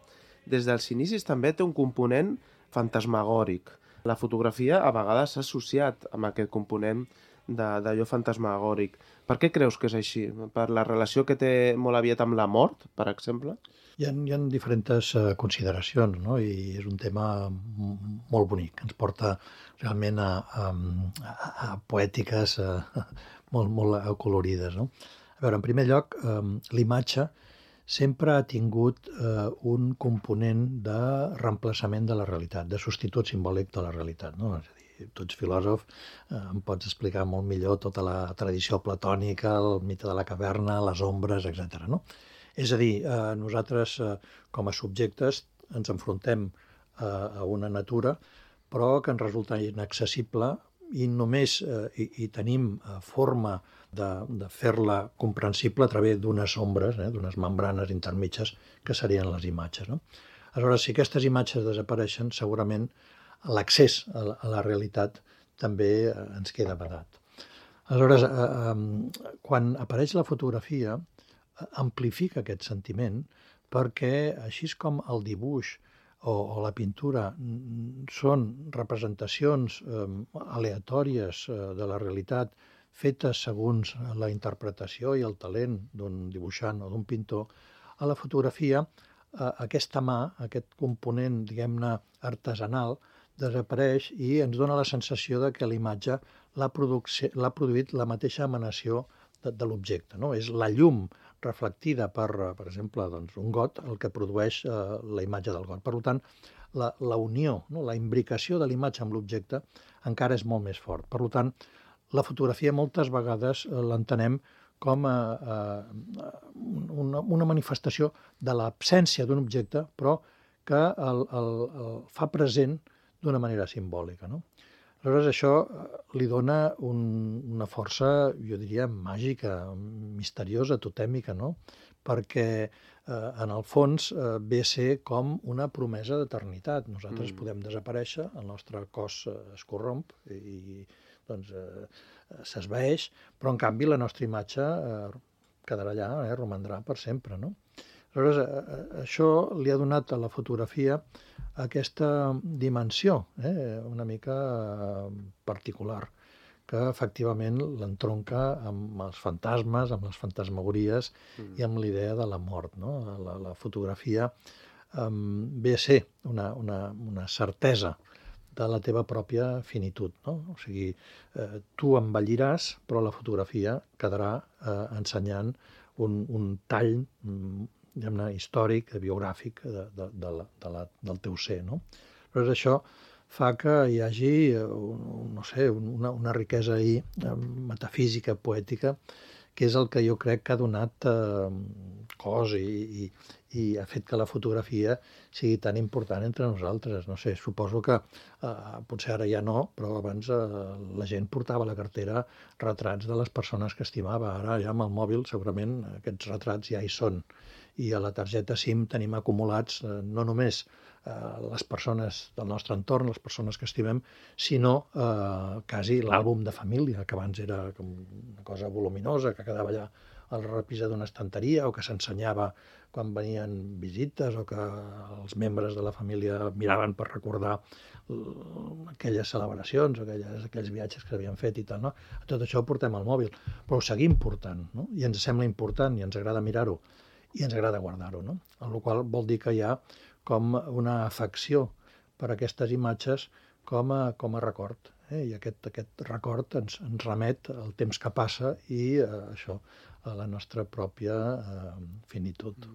des dels inicis també té un component fantasmagòric. La fotografia a vegades s'ha associat amb aquest component d'allò fantasmagòric. Per què creus que és així? Per la relació que té molt aviat amb la mort, per exemple? Hi ha, hi ha diferents uh, consideracions, no? I és un tema molt bonic, ens porta realment a, a, a, a poètiques uh, molt, molt acolorides, no? A veure, en primer lloc, um, l'imatge sempre ha tingut eh, un component de reemplaçament de la realitat, de substitut simbòlic de la realitat, no? És a dir, tu ets filòsof, eh, em pots explicar molt millor tota la tradició platònica, el mite de la caverna, les ombres, etcètera, no? És a dir, eh, nosaltres eh, com a subjectes ens enfrontem eh, a una natura, però que ens resulta inaccessible i només eh, i, i tenim eh, forma de, de fer-la comprensible a través d'unes ombres, eh, d'unes membranes intermitges que serien les imatges, no? Aleshores, si aquestes imatges desapareixen, segurament l'accés a, la, a la realitat també eh, ens queda vedat. Aleshores, eh, eh, quan apareix la fotografia, eh, amplifica aquest sentiment perquè, així com el dibuix o, o la pintura són representacions eh, aleatòries eh, de la realitat fetes segons la interpretació i el talent d'un dibuixant o d'un pintor, a la fotografia eh, aquesta mà, aquest component, diguem-ne, artesanal, desapareix i ens dona la sensació de que l'imatge l'ha produït la mateixa emanació de, de l'objecte, no? És la llum reflectida per, per exemple, doncs, un got el que produeix eh, la imatge del got. Per tant, la, la unió, no? La imbricació de l'imatge amb l'objecte encara és molt més fort. Per tant, la fotografia moltes vegades eh, l'entenem com a, a, una, una manifestació de l'absència d'un objecte, però que el, el, el fa present d'una manera simbòlica, no? Aleshores, això li dona un, una força, jo diria, màgica, misteriosa, totèmica, no? Perquè, eh, en el fons, eh, ve a ser com una promesa d'eternitat. Nosaltres mm. podem desaparèixer, el nostre cos eh, es corromp i doncs, eh, s'esvaeix, però, en canvi, la nostra imatge eh, quedarà allà, eh, romandrà per sempre, no? Aleshores, eh, això li ha donat a la fotografia aquesta dimensió, eh, una mica particular, que efectivament l'entronca amb els fantasmes, amb les fantasmagories mm. i amb l'idea de la mort, no? La, la fotografia eh, ve a ser una, una, una certesa de la teva pròpia finitud, no? O sigui, eh, tu envelliràs, però la fotografia quedarà eh, ensenyant un, un tall diguem-ne, històric, biogràfic de, de, de la, de la, del teu ser, no? Però això fa que hi hagi, no sé, una, una riquesa ahí, metafísica, poètica, que és el que jo crec que ha donat eh, cos i, i, i ha fet que la fotografia sigui tan important entre nosaltres. No sé, suposo que eh, potser ara ja no, però abans eh, la gent portava a la cartera retrats de les persones que estimava. Ara ja amb el mòbil segurament aquests retrats ja hi són. I a la targeta SIM tenim acumulats eh, no només eh, les persones del nostre entorn, les persones que estimem, sinó eh, quasi l'àlbum de família, que abans era com una cosa voluminosa, que quedava allà al repisa d'una estanteria o que s'ensenyava quan venien visites o que els membres de la família miraven per recordar aquelles celebracions o aquelles, aquells viatges que s'havien fet i tal, no? Tot això ho portem al mòbil, però ho seguim portant, no? I ens sembla important i ens agrada mirar-ho. I ens agrada guardar-ho, no? El qual vol dir que hi ha com una afecció per aquestes imatges com a, com a record. Eh? I aquest, aquest record ens, ens remet al temps que passa i eh, això, a la nostra pròpia eh, finitud.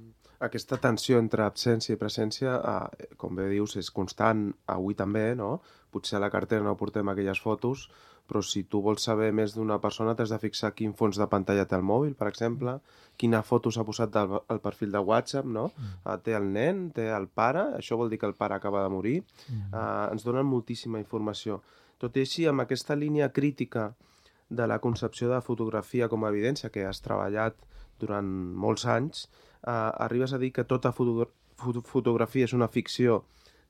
Aquesta tensió entre absència i presència, eh, com bé dius, és constant avui també, no? Potser a la cartera no portem aquelles fotos, però si tu vols saber més d'una persona t'has de fixar quin fons de pantalla té el mòbil, per exemple, quina foto s'ha posat del, al perfil de WhatsApp, no? Mm. Té el nen, té el pare, això vol dir que el pare acaba de morir. Mm. Uh, ens donen moltíssima informació. Tot i així, amb aquesta línia crítica de la concepció de fotografia com a evidència que has treballat durant molts anys, uh, arribes a dir que tota foto foto fotografia és una ficció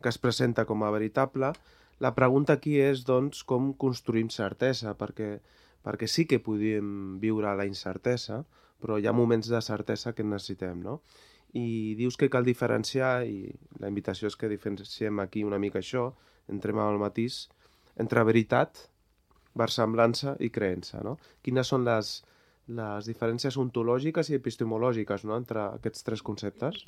que es presenta com a veritable. La pregunta aquí és, doncs, com construïm certesa, perquè, perquè sí que podíem viure la incertesa, però hi ha moments de certesa que necessitem, no? I dius que cal diferenciar, i la invitació és que diferenciem aquí una mica això, entrem al matís, entre veritat, versemblança i creença, no? Quines són les, les diferències ontològiques i epistemològiques, no?, entre aquests tres conceptes?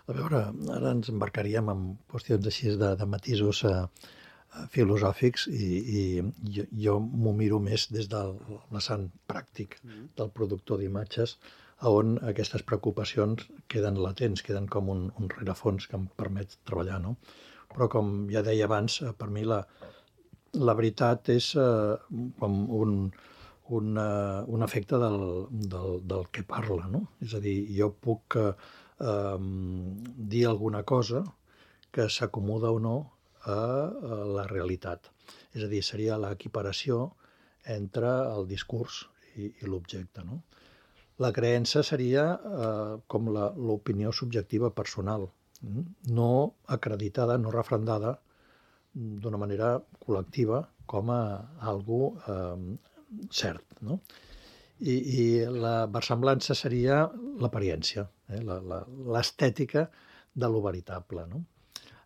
A veure, ara ens embarcaríem en qüestions així de, de matisos eh, filosòfics i, i jo, jo m'ho miro més des del vessant pràctic del productor d'imatges, on aquestes preocupacions queden latents, queden com un, un rerefons que em permet treballar, no? Però com ja deia abans, per mi la, la veritat és eh, com un, un, uh, un efecte del, del, del que parla, no? És a dir, jo puc eh, Um, dir alguna cosa que s'acomoda o no a, a la realitat. És a dir, seria l'equiparació entre el discurs i, i l'objecte, no? La creença seria eh, com l'opinió subjectiva personal, no acreditada, no refrendada d'una manera col·lectiva com a algo eh, cert, no? I, i la versemblança seria l'apariència, eh? l'estètica de lo veritable, no?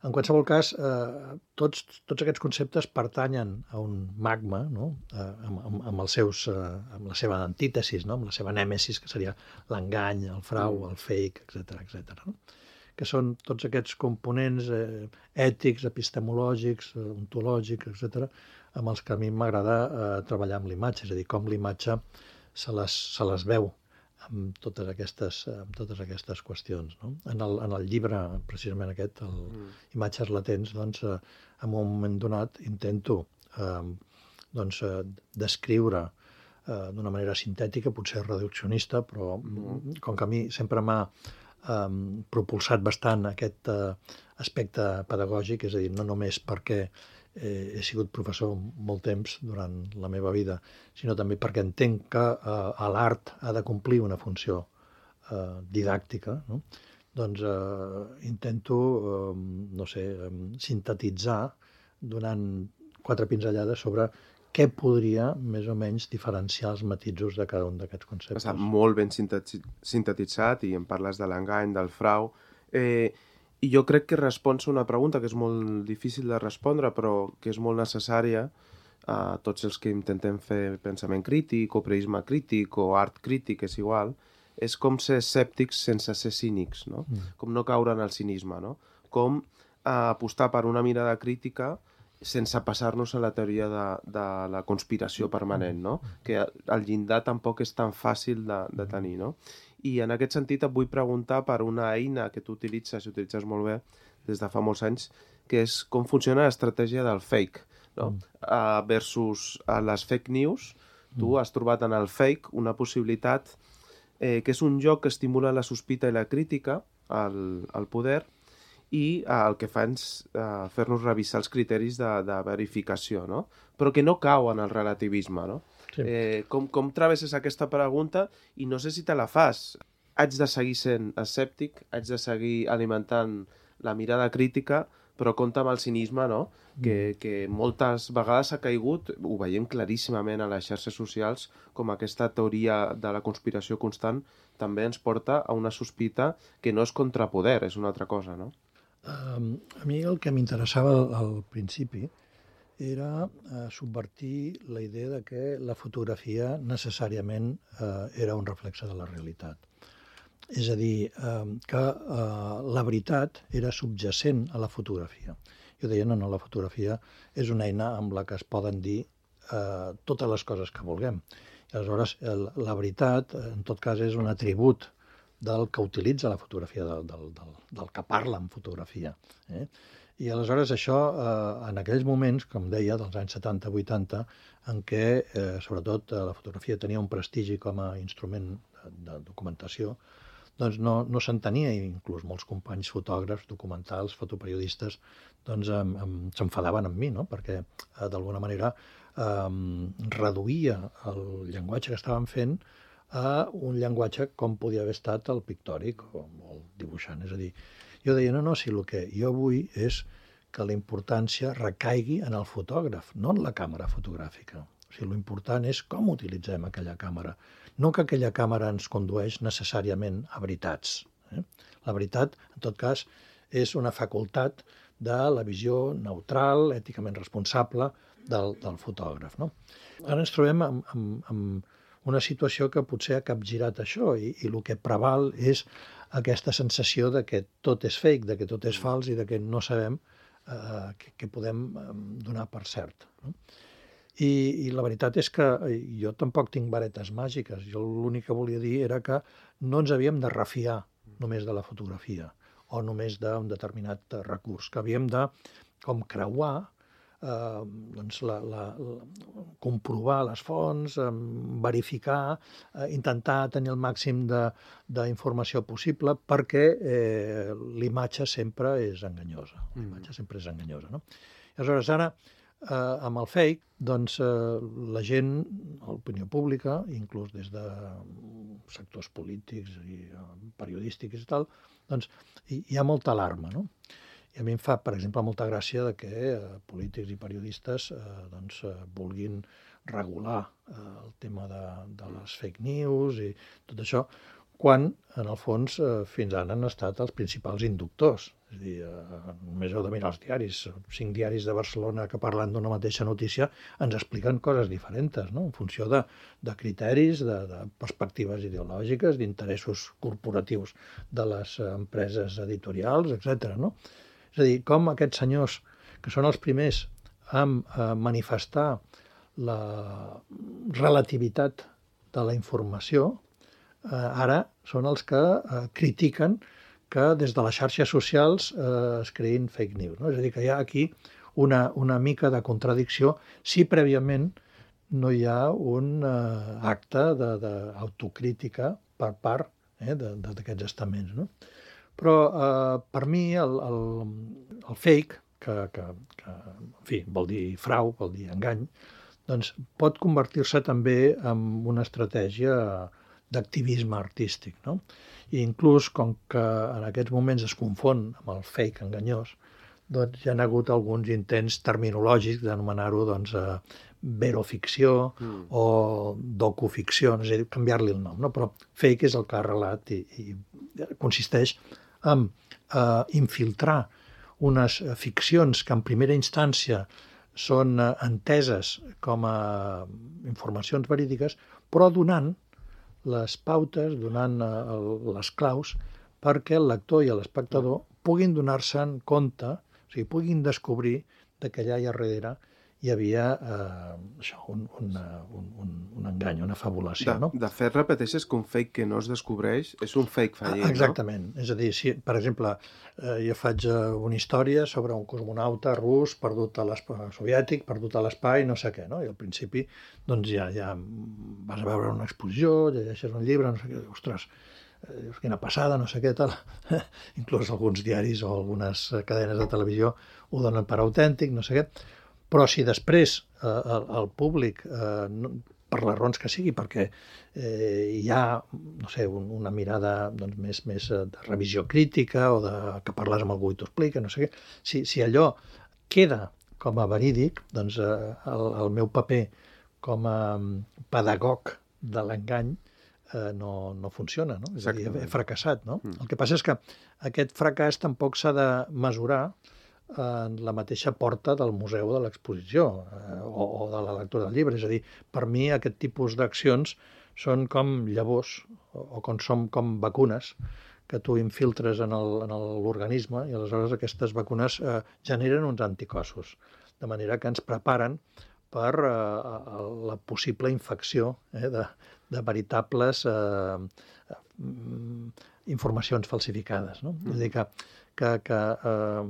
En qualsevol cas, eh, tots, tots aquests conceptes pertanyen a un magma, no? eh, amb, amb, amb, els seus, eh, amb la seva antítesis, no? Amb la seva nèmesis, que seria l'engany, el frau, el fake, etcètera, etcètera, no? Que són tots aquests components eh, ètics, epistemològics, eh, ontològics, etcètera, amb els que a mi m'agrada eh, treballar amb l'imatge, és a dir, com l'imatge se les, se les veu amb totes aquestes, amb totes aquestes qüestions, no? En el, en el llibre, precisament aquest, el mm. Imatges latents, doncs, eh, en un moment donat intento eh, doncs, eh, descriure eh, d'una manera sintètica, potser reduccionista, però mm. com que a mi sempre m'ha eh, propulsat bastant aquest eh, aspecte pedagògic, és a dir, no només perquè Eh, he sigut professor molt temps durant la meva vida, sinó també perquè entenc que eh, l'art ha de complir una funció eh, didàctica, no? Doncs eh, intento, eh, no sé, eh, sintetitzar donant quatre pinzellades sobre què podria més o menys diferenciar els matisos de cada un d'aquests conceptes. Està molt ben sintetitzat i em parles de l'engany, del frau. Eh, I jo crec que respons a una pregunta que és molt difícil de respondre, però que és molt necessària a tots els que intentem fer pensament crític o preisme crític o art crític, és igual, és com ser escèptics sense ser cínics, no? Mm. Com no caure en el cinisme, no? Com eh, apostar per una mirada crítica sense passar-nos a la teoria de, de la conspiració permanent, no? Que el llindar tampoc és tan fàcil de, de tenir, no? I en aquest sentit et vull preguntar per una eina que tu utilitzes, i utilitzes molt bé des de fa molts anys, que és com funciona l'estratègia del fake, no? Mm. Uh, versus uh, les fake news. Tu mm. has trobat en el fake una possibilitat eh, que és un joc que estimula la sospita i la crítica al, al poder, i uh, el que fa és uh, fer-nos revisar els criteris de, de verificació, no? Però que no cau en el relativisme, no? Sí. Eh, com, com travesses aquesta pregunta i no sé si te la fas. Haig de seguir sent escèptic, haig de seguir alimentant la mirada crítica, però compta amb el cinisme, no? Mm. Que, que moltes vegades ha caigut, ho veiem claríssimament a les xarxes socials, com aquesta teoria de la conspiració constant també ens porta a una sospita que no és contrapoder, és una altra cosa, no? Um, a mi el que m'interessava al, al principi era eh, subvertir la idea de que la fotografia necessàriament eh, era un reflexe de la realitat. És a dir, eh, que eh, la veritat era subjacent a la fotografia. Jo deia, no, no, la fotografia és una eina amb la que es poden dir eh, totes les coses que vulguem. I aleshores, el, la veritat, en tot cas, és un atribut del que utilitza la fotografia, del, del, del, del que parla en fotografia. Eh? I aleshores això, eh, en aquells moments, com deia, dels anys setanta vuitanta, en què, eh, sobretot, eh, la fotografia tenia un prestigi com a instrument de, de documentació, doncs no, no s'entenia, i inclús molts companys fotògrafs, documentals, fotoperiodistes, doncs em, em, s'enfadaven amb mi, no? Perquè, eh, d'alguna manera, eh, reduïa el llenguatge que estàvem fent a un llenguatge com podia haver estat el pictòric o el dibuixant. És a dir, jo deia, no, no, si el que jo vull és que la importància recaigui en el fotògraf, no en la càmera fotogràfica. O sigui, l'important és com utilitzem aquella càmera, no que aquella càmera ens condueix necessàriament a veritats. Eh? La veritat, en tot cas, és una facultat de la visió neutral, èticament responsable del, del fotògraf. No? Ara ens trobem amb, amb, amb una situació que potser ha capgirat això i, i el que preval és aquesta sensació de que tot és fake, de que tot és fals i de que no sabem eh, què, què podem donar per cert. No? I, I la veritat és que jo tampoc tinc varetes màgiques. Jo l'únic que volia dir era que no ens havíem de refiar només de la fotografia o només d'un determinat recurs, que havíem de com creuar, eh, doncs la, la, la, comprovar les fonts, eh, verificar, eh, intentar tenir el màxim d'informació possible perquè eh, l'imatge sempre és enganyosa. L'imatge sempre és enganyosa. No? Aleshores, ara, eh, amb el fake, doncs, eh, la gent, l'opinió pública, inclús des de sectors polítics i eh, periodístics i tal, doncs hi, hi ha molta alarma, no? I a mi em fa, per exemple, molta gràcia de que eh, polítics i periodistes eh, doncs, eh, vulguin regular eh, el tema de, de les fake news i tot això, quan, en el fons, eh, fins ara han estat els principals inductors. És a dir, eh, només heu de mirar els diaris. Cinc diaris de Barcelona que parlant d'una mateixa notícia ens expliquen coses diferents, no? En funció de, de criteris, de, de perspectives ideològiques, d'interessos corporatius de les empreses editorials, etcètera. No? És a dir, com aquests senyors, que són els primers a eh, manifestar la relativitat de la informació, eh, ara són els que eh, critiquen que des de les xarxes socials eh, es creïn fake news. No? És a dir, que hi ha aquí una, una mica de contradicció si prèviament no hi ha un eh, acte d'autocrítica per part eh, d'aquests estaments. No? Però eh, per mi el, el, el fake, que, que, que en fi, vol dir frau, vol dir engany, doncs pot convertir-se també en una estratègia d'activisme artístic. No? I inclús, com que en aquests moments es confon amb el fake enganyós, doncs hi ha hagut alguns intents terminològics d'anomenar-ho doncs, eh, veroficció mm. o docuficció, és a dir, canviar-li el nom. No? Però fake és el que ha arrelat i, i consisteix en eh, infiltrar unes ficcions que en primera instància són eh, enteses com a informacions verídiques, però donant les pautes, donant eh, les claus perquè el lector i l'espectador puguin donar-se en compte, o sigui, puguin descobrir que allà i a darrere hi havia eh, això, un, un, un, un, un engany, una fabulació. De, no? de fet, repeteixes que un fake que no es descobreix és un fake fallit, Exactament. No? És a dir, si, per exemple, eh, jo faig eh, una història sobre un cosmonauta rus perdut a l'espai soviètic, perdut a l'espai, no sé què, no? I al principi doncs ja, ja vas a veure una exposició, llegeixes un llibre, no sé què, ostres, dius, quina passada, no sé què, tal. Inclús alguns diaris o algunes cadenes de televisió ho donen per autèntic, no sé què. Però si després eh, el, el públic, eh, no, per les raons que sigui, perquè eh, hi ha, no sé, un, una mirada doncs, més, més de revisió crítica o de, que parles amb algú i t'ho explica, no sé què, si, si allò queda com a verídic, doncs eh, el, el meu paper com a pedagog de l'engany eh, no, no funciona, no? És a dir, he fracassat, no? Mm. El que passa és que aquest fracàs tampoc s'ha de mesurar en la mateixa porta del museu de l'exposició eh, o, o de la lectura del llibre. És a dir, per mi aquest tipus d'accions són com llavors o, o com són com vacunes que tu infiltres en l'organisme i aleshores aquestes vacunes eh, generen uns anticossos, de manera que ens preparen per eh, la possible infecció eh, de, de veritables eh, informacions falsificades. No? Mm. És a dir, que que, que eh,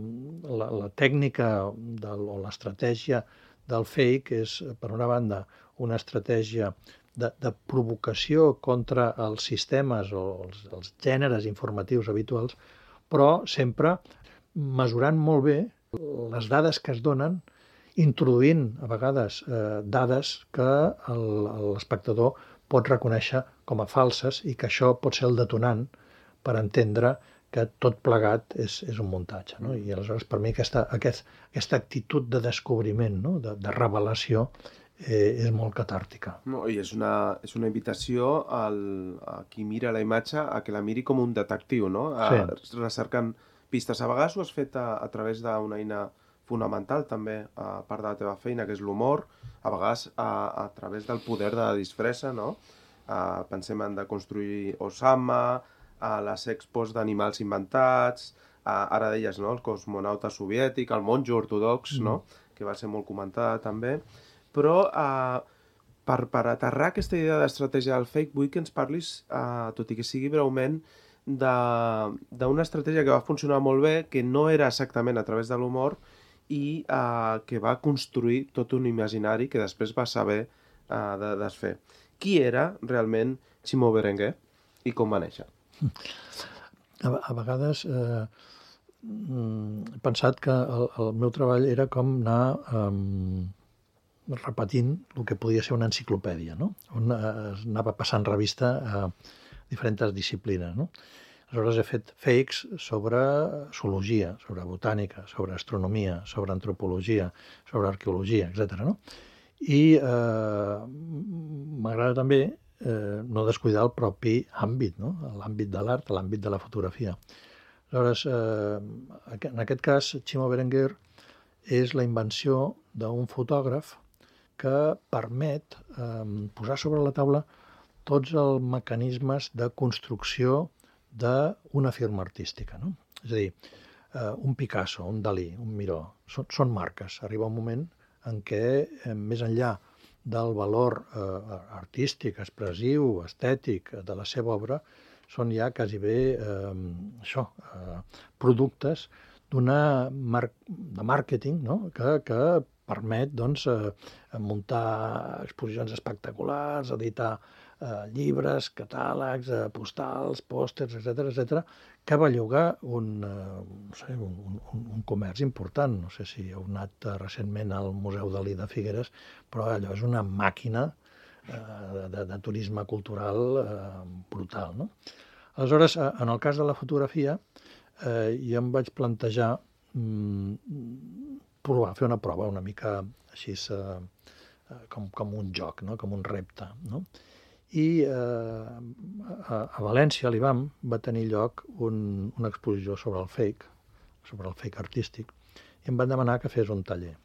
la, la tècnica del, o l'estratègia del fake és, per una banda, una estratègia de, de provocació contra els sistemes o els, els gèneres informatius habituals, però sempre mesurant molt bé les dades que es donen, introduint a vegades eh, dades que l'espectador pot reconèixer com a falses i que això pot ser el detonant per entendre que tot plegat és, és un muntatge. No? I aleshores, per mi, aquesta, aquest, aquesta actitud de descobriment, no? de, de revelació, eh, és molt catàrtica. No, i és una, és una invitació al, a qui mira la imatge a que la miri com un detectiu, no? A, sí. Recercant pistes. A vegades ho has fet a, a través d'una eina fonamental, també, a part de la teva feina, que és l'humor, a vegades a, a través del poder de la disfressa, no? A, pensem en de construir Osama, a les expos d'animals inventats, a, ara deies, no? El cosmonauta soviètic, el monjo ortodox, mm. no? Que va ser molt comentada també, però eh, per, per aterrar aquesta idea d'estratègia del fake, vull que ens parlis, eh, tot i que sigui breument, d'una estratègia que va funcionar molt bé, que no era exactament a través de l'humor i eh, que va construir tot un imaginari que després va saber eh, de desfer. Qui era realment Ximo Berenguer i com va néixer? A, a vegades eh, he pensat que el, el meu treball era com anar eh, repetint el que podia ser una enciclopèdia, no? On es anava passant revista a diferents disciplines, no? Aleshores he fet fakes sobre zoologia, sobre botànica, sobre astronomia, sobre antropologia, sobre arqueologia, etcètera. No? I eh, m'agrada també eh, no descuidar el propi àmbit, no? L'àmbit de l'art, l'àmbit de la fotografia. Aleshores, eh, en aquest cas, Ximo Berenguer és la invenció d'un fotògraf que permet eh, posar sobre la taula tots els mecanismes de construcció d'una firma artística. No? És a dir, eh, un Picasso, un Dalí, un Miró, són, són marques. Arriba un moment en què, eh, més enllà del valor eh, artístic, expressiu, estètic de la seva obra, són ja quasi bé eh, això, eh, productes d'una mar de màrqueting, no? que, que permet doncs, eh, muntar exposicions espectaculars, editar eh, llibres, catàlegs, eh, postals, pòsters, etcètera, etcètera, que belluga un, eh, no sé, un, un, un comerç important. No sé si heu anat eh, recentment al Museu Dalí de Figueres, però allò és una màquina eh, de, de turisme cultural eh, brutal. No? Aleshores, eh, en el cas de la fotografia, eh, jo em vaig plantejar mm, provar, fer una prova una mica així eh, com, com un joc, no? Com un repte. No? I eh, a, a València, a l'I B A M, va tenir lloc un, una exposició sobre el fake, sobre el fake artístic, i em van demanar que fes un taller.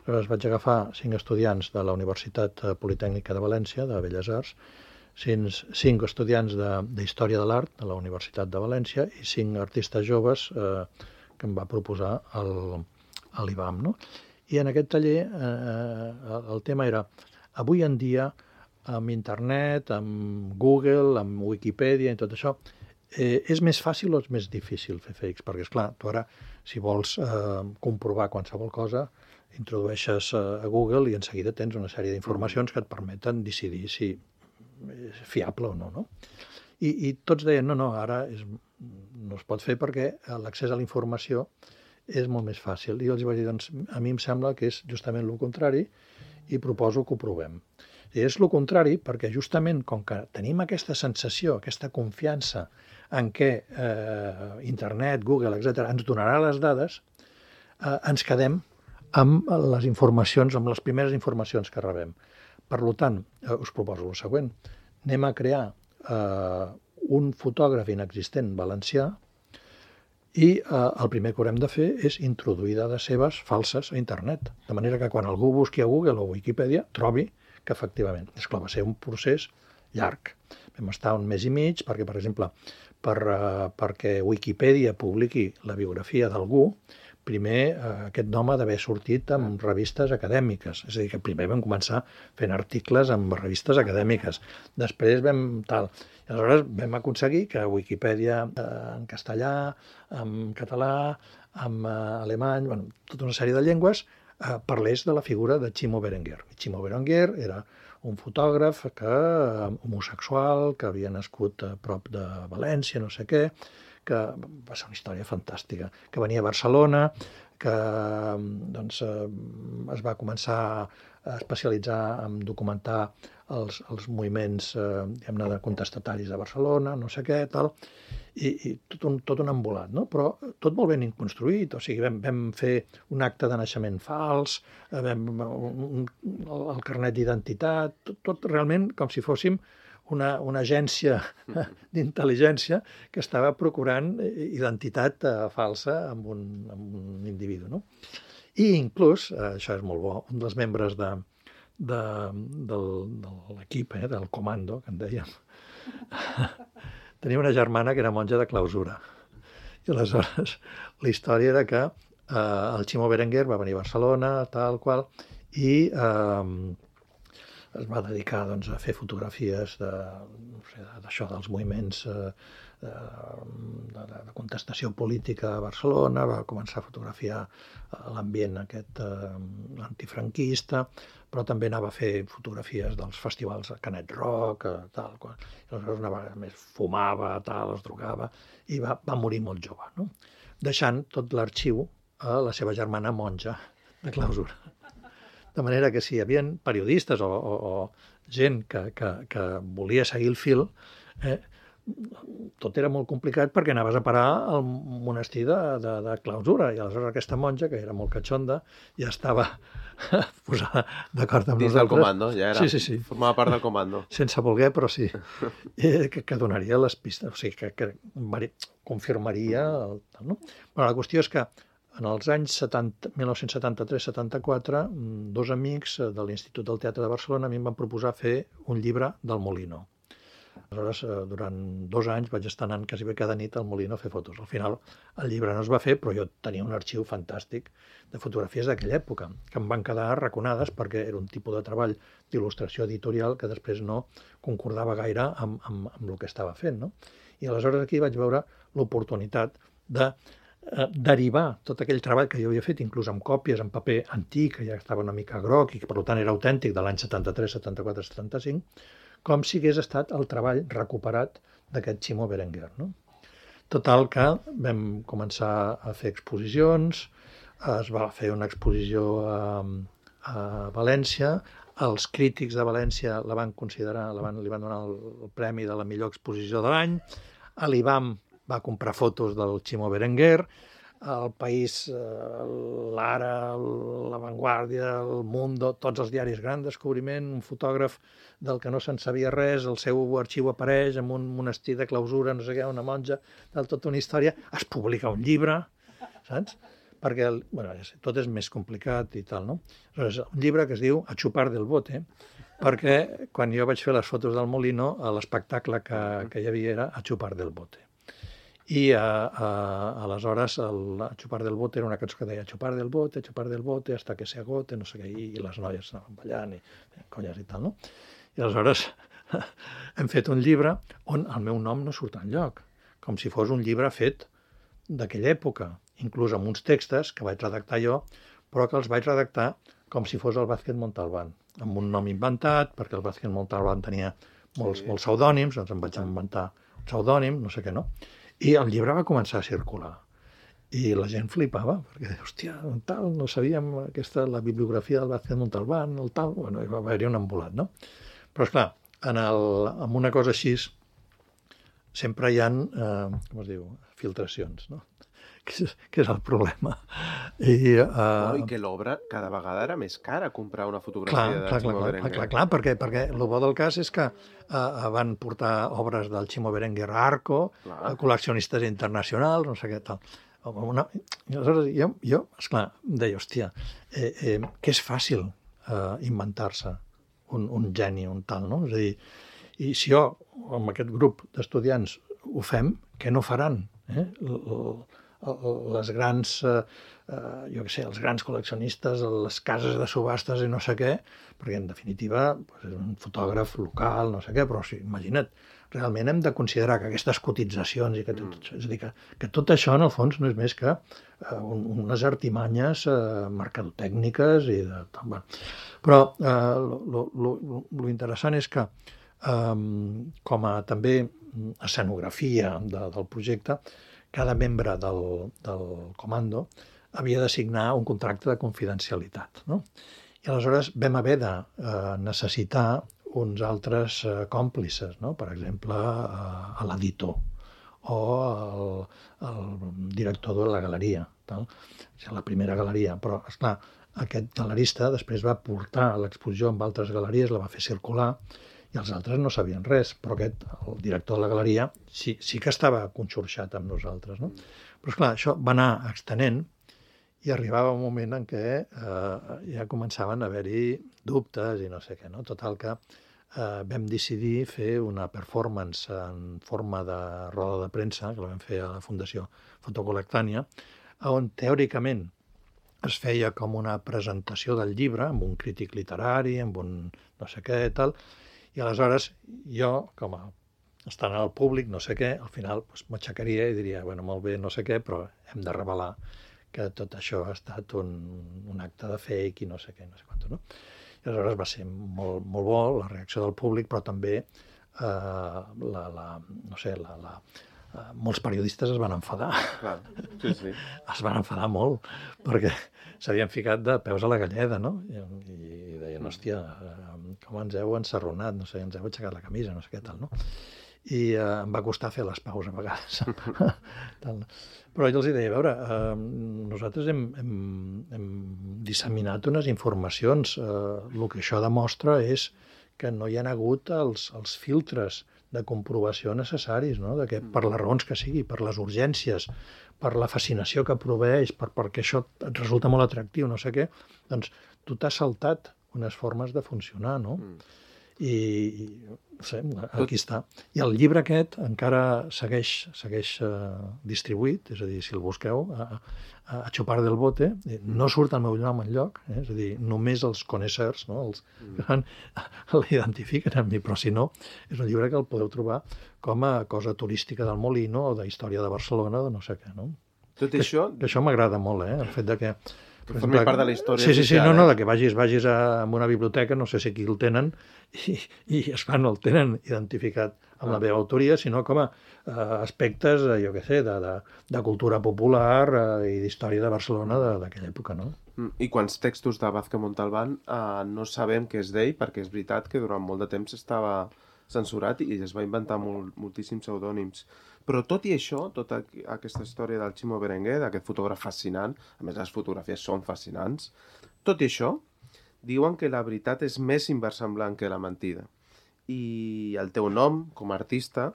Aleshores vaig agafar cinc estudiants de la Universitat Politècnica de València, de Belles Arts, cinc, cinc estudiants d'Història de, de l'Art de la Universitat de València i cinc artistes joves eh, que em va proposar el, a l'I B A M. No? I en aquest taller eh, el tema era, avui en dia, amb internet, amb Google, amb Wikipedia i tot això, eh, és més fàcil o és més difícil fer fakes? Perquè, esclar, tu ara, si vols eh, comprovar qualsevol cosa, introdueixes a Google i en seguida tens una sèrie d'informacions que et permeten decidir si és fiable o no. no? I, i tots deien, no, no, ara és, no es pot fer perquè l'accés a la informació és molt més fàcil. I els vaig dir, doncs, a mi em sembla que és justament el contrari i proposo que ho provem. I és el contrari perquè justament com que tenim aquesta sensació, aquesta confiança en què eh, internet, Google, etcètera, ens donarà les dades, eh, ens quedem amb les informacions, amb les primeres informacions que rebem. Per tant, eh, us proposo el següent. Anem a crear eh, un fotògraf inexistent valencià i eh, el primer que haurem de fer és introduir dades seves falses a internet. De manera que quan algú busqui a Google o Wikipedia trobi que efectivament, és clar, va ser un procés llarg. Vam estar un mes i mig perquè, per exemple, per, uh, perquè Wikipedia publiqui la biografia d'algú, primer uh, aquest nom ha d'haver sortit en revistes acadèmiques. És a dir, que primer vam començar fent articles en revistes acadèmiques. Després vam tal. I aleshores vam aconseguir que Wikipedia uh, en castellà, en català, en uh, alemany, bueno, tota una sèrie de llengües, Eh, parlés de la figura de Ximo Berenguer. Ximo Berenguer era un fotògraf que, eh, homosexual, que havia nascut a prop de València, no sé què, que va ser una història fantàstica, que venia a Barcelona, que doncs, es va començar a especialitzar en documentar els, els moviments eh, diguem-ne, de contestataris de Barcelona, no sé què, tal, i, i tot, un, tot un embolat, no? Però tot molt ben construït, o sigui, vam, vam fer un acte de naixement fals, vam, un, el, el carnet d'identitat, tot, tot realment com si fóssim una, una agència d'intel·ligència que estava procurant identitat eh, falsa amb un, amb un individu, no? I inclús, eh, això és molt bo, un dels membres de, de, del, de l'equip, eh, del comando, que en dèiem, tenia una germana que era monja de clausura. I aleshores la història era que eh, el Ximo Berenguer va venir a Barcelona, tal qual, i eh, es va dedicar doncs, a fer fotografies de, no sé, d'això, dels moviments eh, de, de, de contestació política a Barcelona, va començar a fotografiar l'ambient aquest eh, antifranquista, però també anava a fer fotografies dels festivals de Canet Rock, eh, tal, qual. I aleshores una vegada més fumava, tal, es drogava, i va, va morir molt jove, no? Deixant tot l'arxiu a la seva germana monja de clausura. De manera que si hi havia periodistes o, o, o gent que, que, que volia seguir el fil, eh, tot era molt complicat perquè anaves a parar al monestir de, de, de clausura, i aleshores aquesta monja, que era molt catxonda, ja estava posada d'acord amb Dins nosaltres. del comando, ja era. Sí, sí, sí. Formava part del comando. Sense voler, però sí. Eh, que, que donaria les pistes, o sigui, que, que confirmaria el, no? Però la qüestió és que en els anys setanta, mil nou-cents setanta-tres setanta-quatre, dos amics de l'Institut del Teatre de Barcelona a mi em van proposar fer un llibre del Molino. Aleshores, durant dos anys vaig estar anant quasi bé cada nit al Molino a fer fotos. Al final el llibre no es va fer, però jo tenia un arxiu fantàstic de fotografies d'aquella època, que em van quedar arraconades perquè era un tipus de treball d'il·lustració editorial que després no concordava gaire amb, amb, amb el que estava fent, no? I aleshores aquí vaig veure l'oportunitat de eh, derivar tot aquell treball que jo havia fet, inclús amb còpies en paper antic, que ja estava una mica groc i que per tant era autèntic, de l'any setanta-tres, setanta-quatre, setanta-cinc, com si hagués estat el treball recuperat d'aquest Ximo Berenguer, no? Total que vam començar a fer exposicions, es va fer una exposició a, a València, els crítics de València la van considerar, la van, li van donar el, el premi de la millor exposició de l'any, l'I B A M va comprar fotos del Ximo Berenguer, el País, l'Ara, la Vanguardia, el Mundo, tots els diaris, gran descobriment, un fotògraf del que no se'n sabia res, el seu arxiu apareix en un monestir de clausura, no sé què, una monja, tal, tota una història, es publica un llibre, saps? Perquè, bueno, tot és més complicat i tal, no? Aleshores, un llibre que es diu A chupar del bote, perquè quan jo vaig fer les fotos del Molino, l'espectacle que, que hi havia era A chupar del bote. I a, a, aleshores el A chupar del bote era una cançó que deia A chupar del bote, a chupar del bote, hasta que se agote, no sé què, i, i les noies anaven ballant i colles i tal, no? I aleshores hem fet un llibre on el meu nom no surt enlloc, com si fos un llibre fet d'aquella època, inclús amb uns textos que vaig redactar jo, però que els vaig redactar com si fos el Vázquez Montalbán, amb un nom inventat, perquè el Vázquez Montalbán tenia molts, sí. molts pseudònims, doncs em vaig inventar un pseudònim, no sé què, no? I el llibre va començar a circular. I la gent flipava, perquè, hòstia, tal, no sabíem aquesta, la bibliografia del Vázquez Montalbán, el tal, bueno, va haver-hi un embolat, no? Però, esclar, en, el, en una cosa així sempre hi ha, eh, com es diu, filtracions, no? Que és, que és el problema. I, uh, oh, I que l'obra cada vegada era més cara comprar una fotografia clar, de clar, Ximo clar, Berenguer. Clar, clar, clar, perquè, perquè el bo del cas és que uh, van portar obres del Ximo Berenguer a Arco, a col·leccionistes internacionals, no sé què tal. Una, i aleshores jo, jo esclar, deia, hòstia, eh, eh, que és fàcil eh, inventar-se un, un geni, un tal, no? És a dir, i si jo, amb aquest grup d'estudiants, ho fem, què no faran? Eh? L, l, les grans, eh, jo què sé, els grans col·leccionistes, les cases de subhastes i no sé què, perquè en definitiva doncs, és un fotògraf local, no sé què, però sí, imagina't, realment hem de considerar que aquestes cotitzacions i que tot, mm. és a dir, que, que tot això en el fons no és més que eh, un, unes artimanyes eh, mercadotècniques i de tot. Bueno. Però eh, lo, lo, lo interessant és que eh, com a també escenografia de, del projecte, cada membre del, del comando havia de signar un contracte de confidencialitat, no? I aleshores vam haver de eh, necessitar uns altres eh, còmplices, no? Per exemple, eh, l'editor o el, el director de la galeria, tal? O sigui, la primera galeria. Però, esclar, aquest galerista després va portar l'exposició amb altres galeries, la va fer circular, i els altres no sabien res, però aquest, el director de la galeria, sí, sí que estava conxorxat amb nosaltres, no? Però, esclar, això va anar extenent i arribava un moment en què eh, ja començaven a haver-hi dubtes i no sé què, no? Total que eh, vam decidir fer una performance en forma de roda de premsa, que la vam fer a la Fundació Fotocolectània, on teòricament es feia com una presentació del llibre amb un crític literari, amb un no sé què i tal, i aleshores jo, com a estant al públic, no sé què, al final doncs, m'aixecaria i diria, bueno, molt bé, no sé què, però hem de revelar que tot això ha estat un, un acte de fake i no sé què, no sé quant, no? I aleshores va ser molt, molt bo la reacció del públic, però també eh, la, la, no sé, la, la, eh, molts periodistes es van enfadar. Clar, sí, sí. Es van enfadar molt, perquè s'havien ficat de peus a la galleda, no? I, i deien, hòstia, com ens heu ensarronat, no sé, ens heu aixecat la camisa, no sé què tal, no? I eh, em va costar fer les paus a vegades. Però jo els deia, a veure, eh, nosaltres hem, hem, hem disseminat unes informacions. Eh, el que això demostra és que no hi ha hagut els, els filtres de comprovació necessaris, no? De que, per les raons que sigui, per les urgències, per la fascinació que proveeix, per, perquè això et resulta molt atractiu, no sé què, doncs tu t'has saltat unes formes de funcionar, no? Mm. I, no sé, aquí està. I el llibre aquest encara segueix, segueix uh, distribuït, és a dir, si el busqueu, a, a, a Chupar del Bote, no surt el meu nom enlloc, eh? És a dir, només els coneixers, no? Els que mm. l'identifiquen amb mi, però si no, és un llibre que el podeu trobar com a cosa turística del Molino o d'història de Barcelona o no sé què, no? Tot que, això... Que això m'agrada molt, eh? El fet de que... Que formi part de la història. Sí, sí, sí, social, no, no, eh? de que vagis, vagis a, a una biblioteca, no sé si aquí el tenen, i, i esclar, no el tenen identificat amb ah. la meva autoria, sinó com a uh, aspectes, uh, jo què sé, de, de, de cultura popular uh, i d'història de Barcelona d'aquella època, no? I quants textos de Vázquez Montalbán uh, no sabem què és d'ell, perquè és veritat que durant molt de temps estava censurat i es va inventar molt, moltíssims pseudònims. Però tot i això, tota aquesta història del Ximo Berenguer, d'aquest fotògraf fascinant, a més les fotografies són fascinants, tot i això, diuen que la veritat és més inversemblant que la mentida. I el teu nom, com a artista,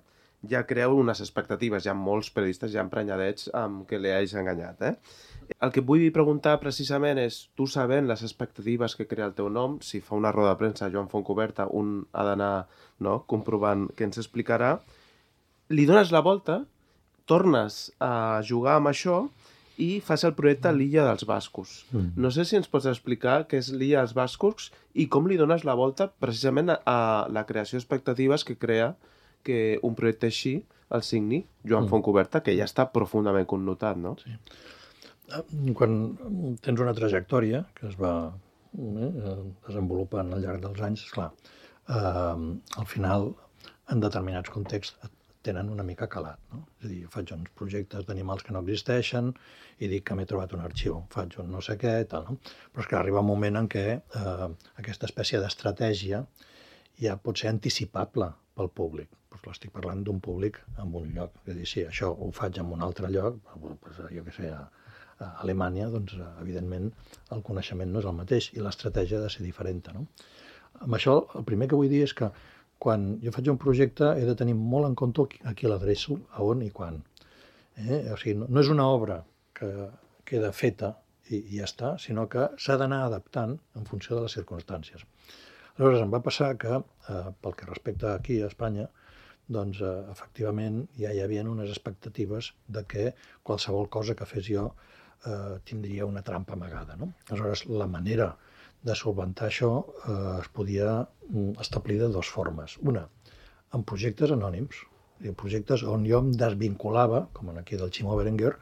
ja creu unes expectatives, hi ha molts periodistes ja emprenyadets amb que li hagis enganyat, eh? El que vull preguntar precisament és, tu sabent les expectatives que crea el teu nom, si fa una roda de premsa Joan Fontcuberta, un ha d'anar, no?, comprovant què ens explicarà, li dones la volta, tornes a jugar amb això i fas el projecte L'Illa dels Bascos. Mm. No sé si ens pots explicar què és L'Illa dels Bascos i com li dones la volta precisament a la creació d'expectatives que crea que un projecte així el signi Joan mm. Fontcuberta, que ja està profundament connotat, no? Sí. Quan tens una trajectòria que es va eh, desenvolupant al llarg dels anys, esclar, eh, al final, en determinats contexts, tenen una mica calat, no? És a dir, faig uns projectes d'animals que no existeixen i dic que m'he trobat un arxiu, faig un no sé què, tal, no? Però és que arriba un moment en què eh, aquesta espècie d'estratègia ja pot ser anticipable pel públic. Pues estic parlant d'un públic en un lloc. És a dir, si això ho faig en un altre lloc, pues, jo què sé, a, a Alemanya, doncs, evidentment, el coneixement no és el mateix i l'estratègia ha de ser diferent, no? Amb això, el primer que vull dir és que quan jo faig un projecte he de tenir molt en compte a qui l'adreço, a on i quan. Eh? O sigui, no, no és una obra que queda feta i, i ja està, sinó que s'ha d'anar adaptant en funció de les circumstàncies. Aleshores, em va passar que, eh, pel que respecta aquí a Espanya, doncs, eh, efectivament, ja hi havia unes expectatives de que qualsevol cosa que fes jo eh, tindria una trampa amagada, no? Aleshores, la manera de solventar això eh, es podia establir de dues formes. Una, en projectes anònims, en projectes on jo em desvinculava, com en aquí del Ximo Berenguer,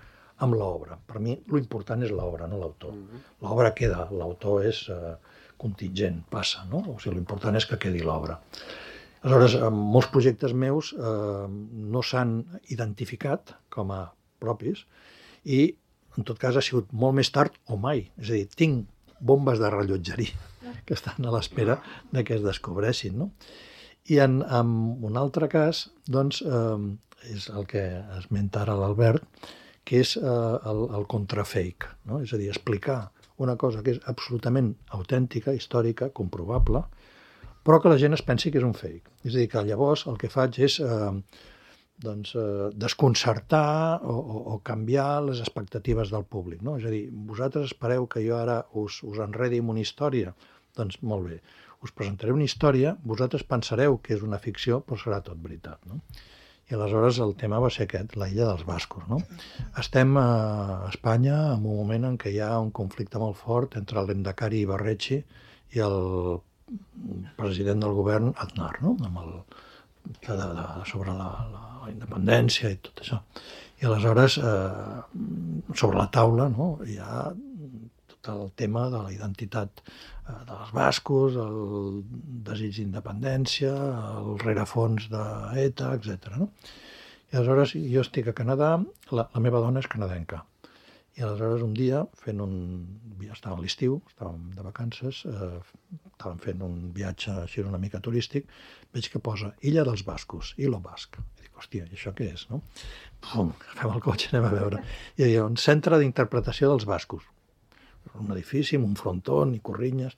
amb l'obra. Per mi, l'important és l'obra, no l'autor. Mm-hmm. L'obra queda, l'autor és eh, contingent, passa, no? O sigui, l'important és que quedi l'obra. Aleshores, molts projectes meus eh, no s'han identificat com a propis i en tot cas ha sigut molt més tard o mai. És a dir, tinc bombes de rellotgeria que estan a l'espera de que es descobreixin, no? I en, en un altre cas, doncs, eh, és el que esmenta ara l'Albert, que és eh, el, el contrafake, no? És a dir, explicar una cosa que és absolutament autèntica, històrica, comprovable, però que la gent es pensi que és un fake. És a dir, que llavors el que faig és eh, doncs, eh, desconcertar o, o, o canviar les expectatives del públic, no? És a dir, vosaltres espereu que jo ara us, us enredi amb una història? Doncs molt bé, us presentaré una història, vosaltres pensareu que és una ficció, però serà tot veritat, no? I aleshores el tema va ser aquest, la illa dels bascos, no? Estem a Espanya en un moment en què hi ha un conflicte molt fort entre l'Endacari Ibarretxe i el president del govern Aznar, no? Amb el, de, de, sobre la, la, la independència i tot això. I aleshores, eh, sobre la taula, no? Hi ha tot el tema de la identitat dels bascos, el desig d'independència, el rerefons d'ETA, etcètera. No? I aleshores jo estic a Canadà, la, la meva dona és canadenca. I aleshores un dia, fent un... estava a l'estiu, estàvem de vacances, eh, estàvem fent un viatge així una mica turístic, veig que posa Illa dels Bascos, Ilo Basc. I dic, hòstia, i això què és, no? Pum, agafem el cotxe, anem a veure. I hi havia un centre d'interpretació dels bascos. Un edifici amb un frontó i corrinyes.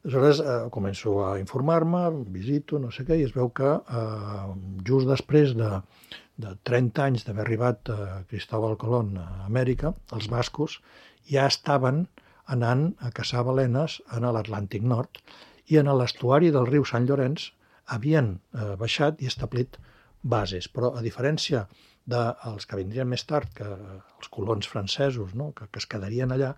Aleshores eh, començo a informar-me, visito, no sé què, i es veu que eh, just després de, de trenta anys d'haver arribat a Cristóbal Colón a Amèrica, els bascos ja estaven anant a caçar balenes en l'Atlàntic Nord i en l'estuari del riu Sant Llorenç havien eh, baixat i establit bases, però a diferència dels que vindrien més tard, que els colons francesos, no? que, que es quedarien allà,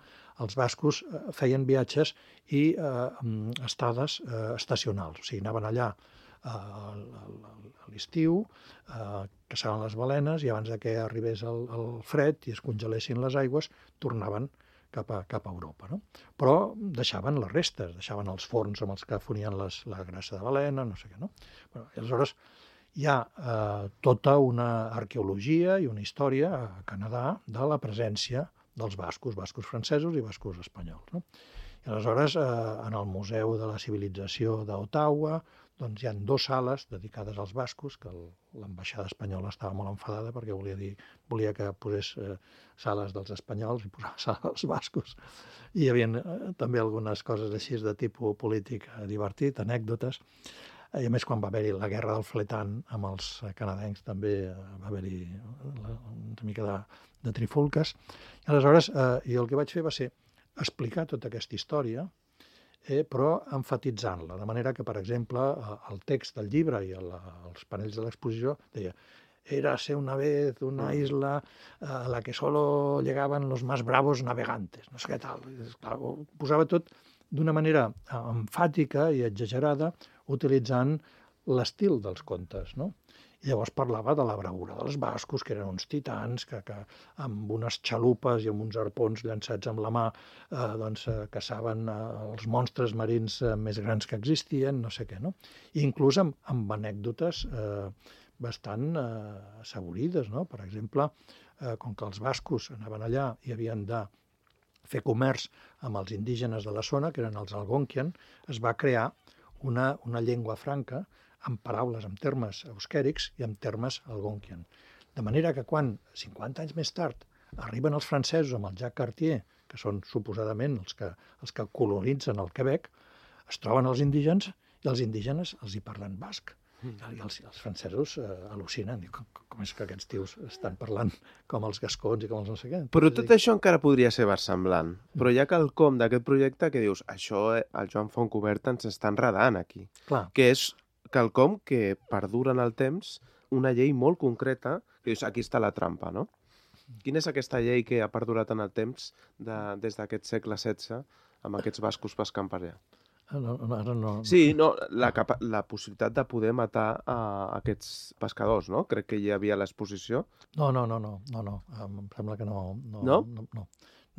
els bascos eh, feien viatges i eh, estades eh, estacionals. O sigui, anaven allà eh, a l'estiu, eh, caçaven les balenes i abans de que arribés el, el fred i es congelessin les aigües, tornaven cap a, cap a Europa. No? Però deixaven les restes, deixaven els forns amb els que fonien les, la grassa de balena, no sé què. No? Bueno, i aleshores hi ha eh, tota una arqueologia i una història a Canadà de la presència dels bascos, bascos francesos i bascos espanyols. No? I aleshores, eh, en el Museu de la Civilització d'Ottawa, doncs hi ha dues sales dedicades als bascos, que l'ambaixada espanyola estava molt enfadada perquè volia dir volia que posés eh, sales dels espanyols i posava sales dels bascos. I hi havia eh, també algunes coses així de tipus polític eh, divertit, anècdotes. I a més, quan va haver-hi la guerra del fletant amb els canadencs, també va haver-hi una mica de, de trifulques. I aleshores, eh, jo el que vaig fer va ser explicar tota aquesta història, eh, però enfatitzant-la, de manera que, per exemple, el text del llibre i el, els panells de l'exposició deia «Érase una vez una isla a la que solo llegaven los más bravos navegantes», no sé què tal. Clar, ho posava tot d'una manera emfàtica i exagerada, utilitzant l'estil dels contes, no? I llavors parlava de la bravura dels bascos, que eren uns titans, que, que amb unes xalupes i amb uns arpons llançats amb la mà eh, doncs, eh, caçaven eh, els monstres marins eh, més grans que existien, no sé què, no? I inclús amb, amb anècdotes eh, bastant eh, assaborides, no? Per exemple, eh, com que els bascos anaven allà i havien de fer comerç amb els indígenes de la zona, que eren els Algonquian, es va crear una, una llengua franca amb paraules, amb termes euskèrics i amb termes Algonquian. De manera que quan, cinquanta anys més tard, arriben els francesos amb el Jacques Cartier, que són suposadament els que, els que colonitzen el Quebec, es troben els indígenes i els indígenes els hi parlen basc. I els, els francesos eh, al·lucinen. Com, com és que aquests tios estan parlant com els gascons i com els no sé què? Però tot això encara podria ser versemblant. Però hi ha quelcom d'aquest projecte que dius això el Joan Fontcuberta ens està enredant aquí. Clar. Que és quelcom que perdura en el temps, una llei molt concreta, que dius, aquí està la trampa, no? Quina és aquesta llei que ha perdurat en el temps de, des d'aquest segle setze amb aquests bascos pescant per allà? No, no, ara no... Sí, no, la, capa la possibilitat de poder matar a aquests pescadors, no? Crec que hi havia a l'exposició. No, no, no, no, no, no, em sembla que no... No? No? No, no,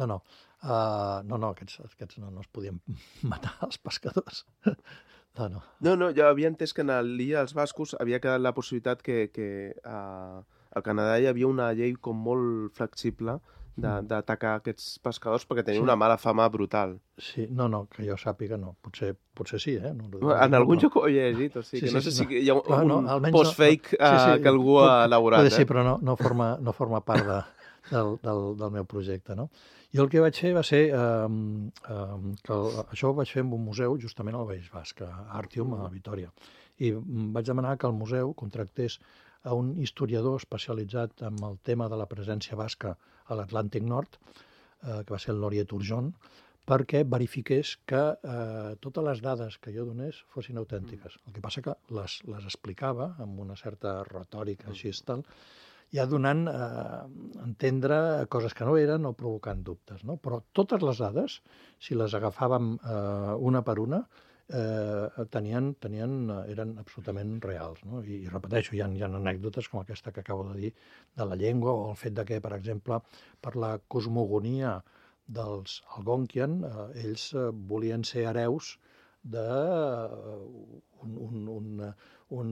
no, no, uh, no, no aquests, aquests no, no es podien matar, els pescadors. No, no. No, no, jo havia entès que en l'illa dels bascos havia quedat la possibilitat que, que uh, al Canadà hi havia una llei com molt flexible d'atacar aquests pescadors perquè tenien Sí. una mala fama brutal. Sí, no, no, que jo sàpiga no. Potser, potser sí, eh? No, no, En algun no. lloc ho he llegit, o sigui, Sí, que no sí, sé sí, si hi ha un, Clar, no, un almenys no- post-fake no- sí, sí, eh, que algú ha pot- elaborat. Pot ser, eh? però no, no, forma, no forma part de, del, del, del meu projecte, no? Jo el que vaig fer va ser eh, eh, que el, això ho vaig fer en un museu justament al País Basc, a Artium, a Vitoria. I mm, vaig demanar que el museu contractés a un historiador especialitzat en el tema de la presència basca a l'Atlàntic Nord, eh, que va ser el Laurier Turgeon, perquè verifiqués que eh, totes les dades que jo donés fossin autèntiques. El que passa que les, les explicava amb una certa retòrica així i tal, ja donant eh, a entendre coses que no eren o provocant dubtes. No? Però totes les dades, si les agafàvem eh, una per una, eh, tenien, tenien, eh, eren absolutament reals. No? I, I repeteixo, hi ha, hi ha anècdotes com aquesta que acabo de dir de la llengua, o el fet de que, per exemple, per la cosmogonia dels Algonquian, eh, ells eh, volien ser hereus de uh, un, un, un, un,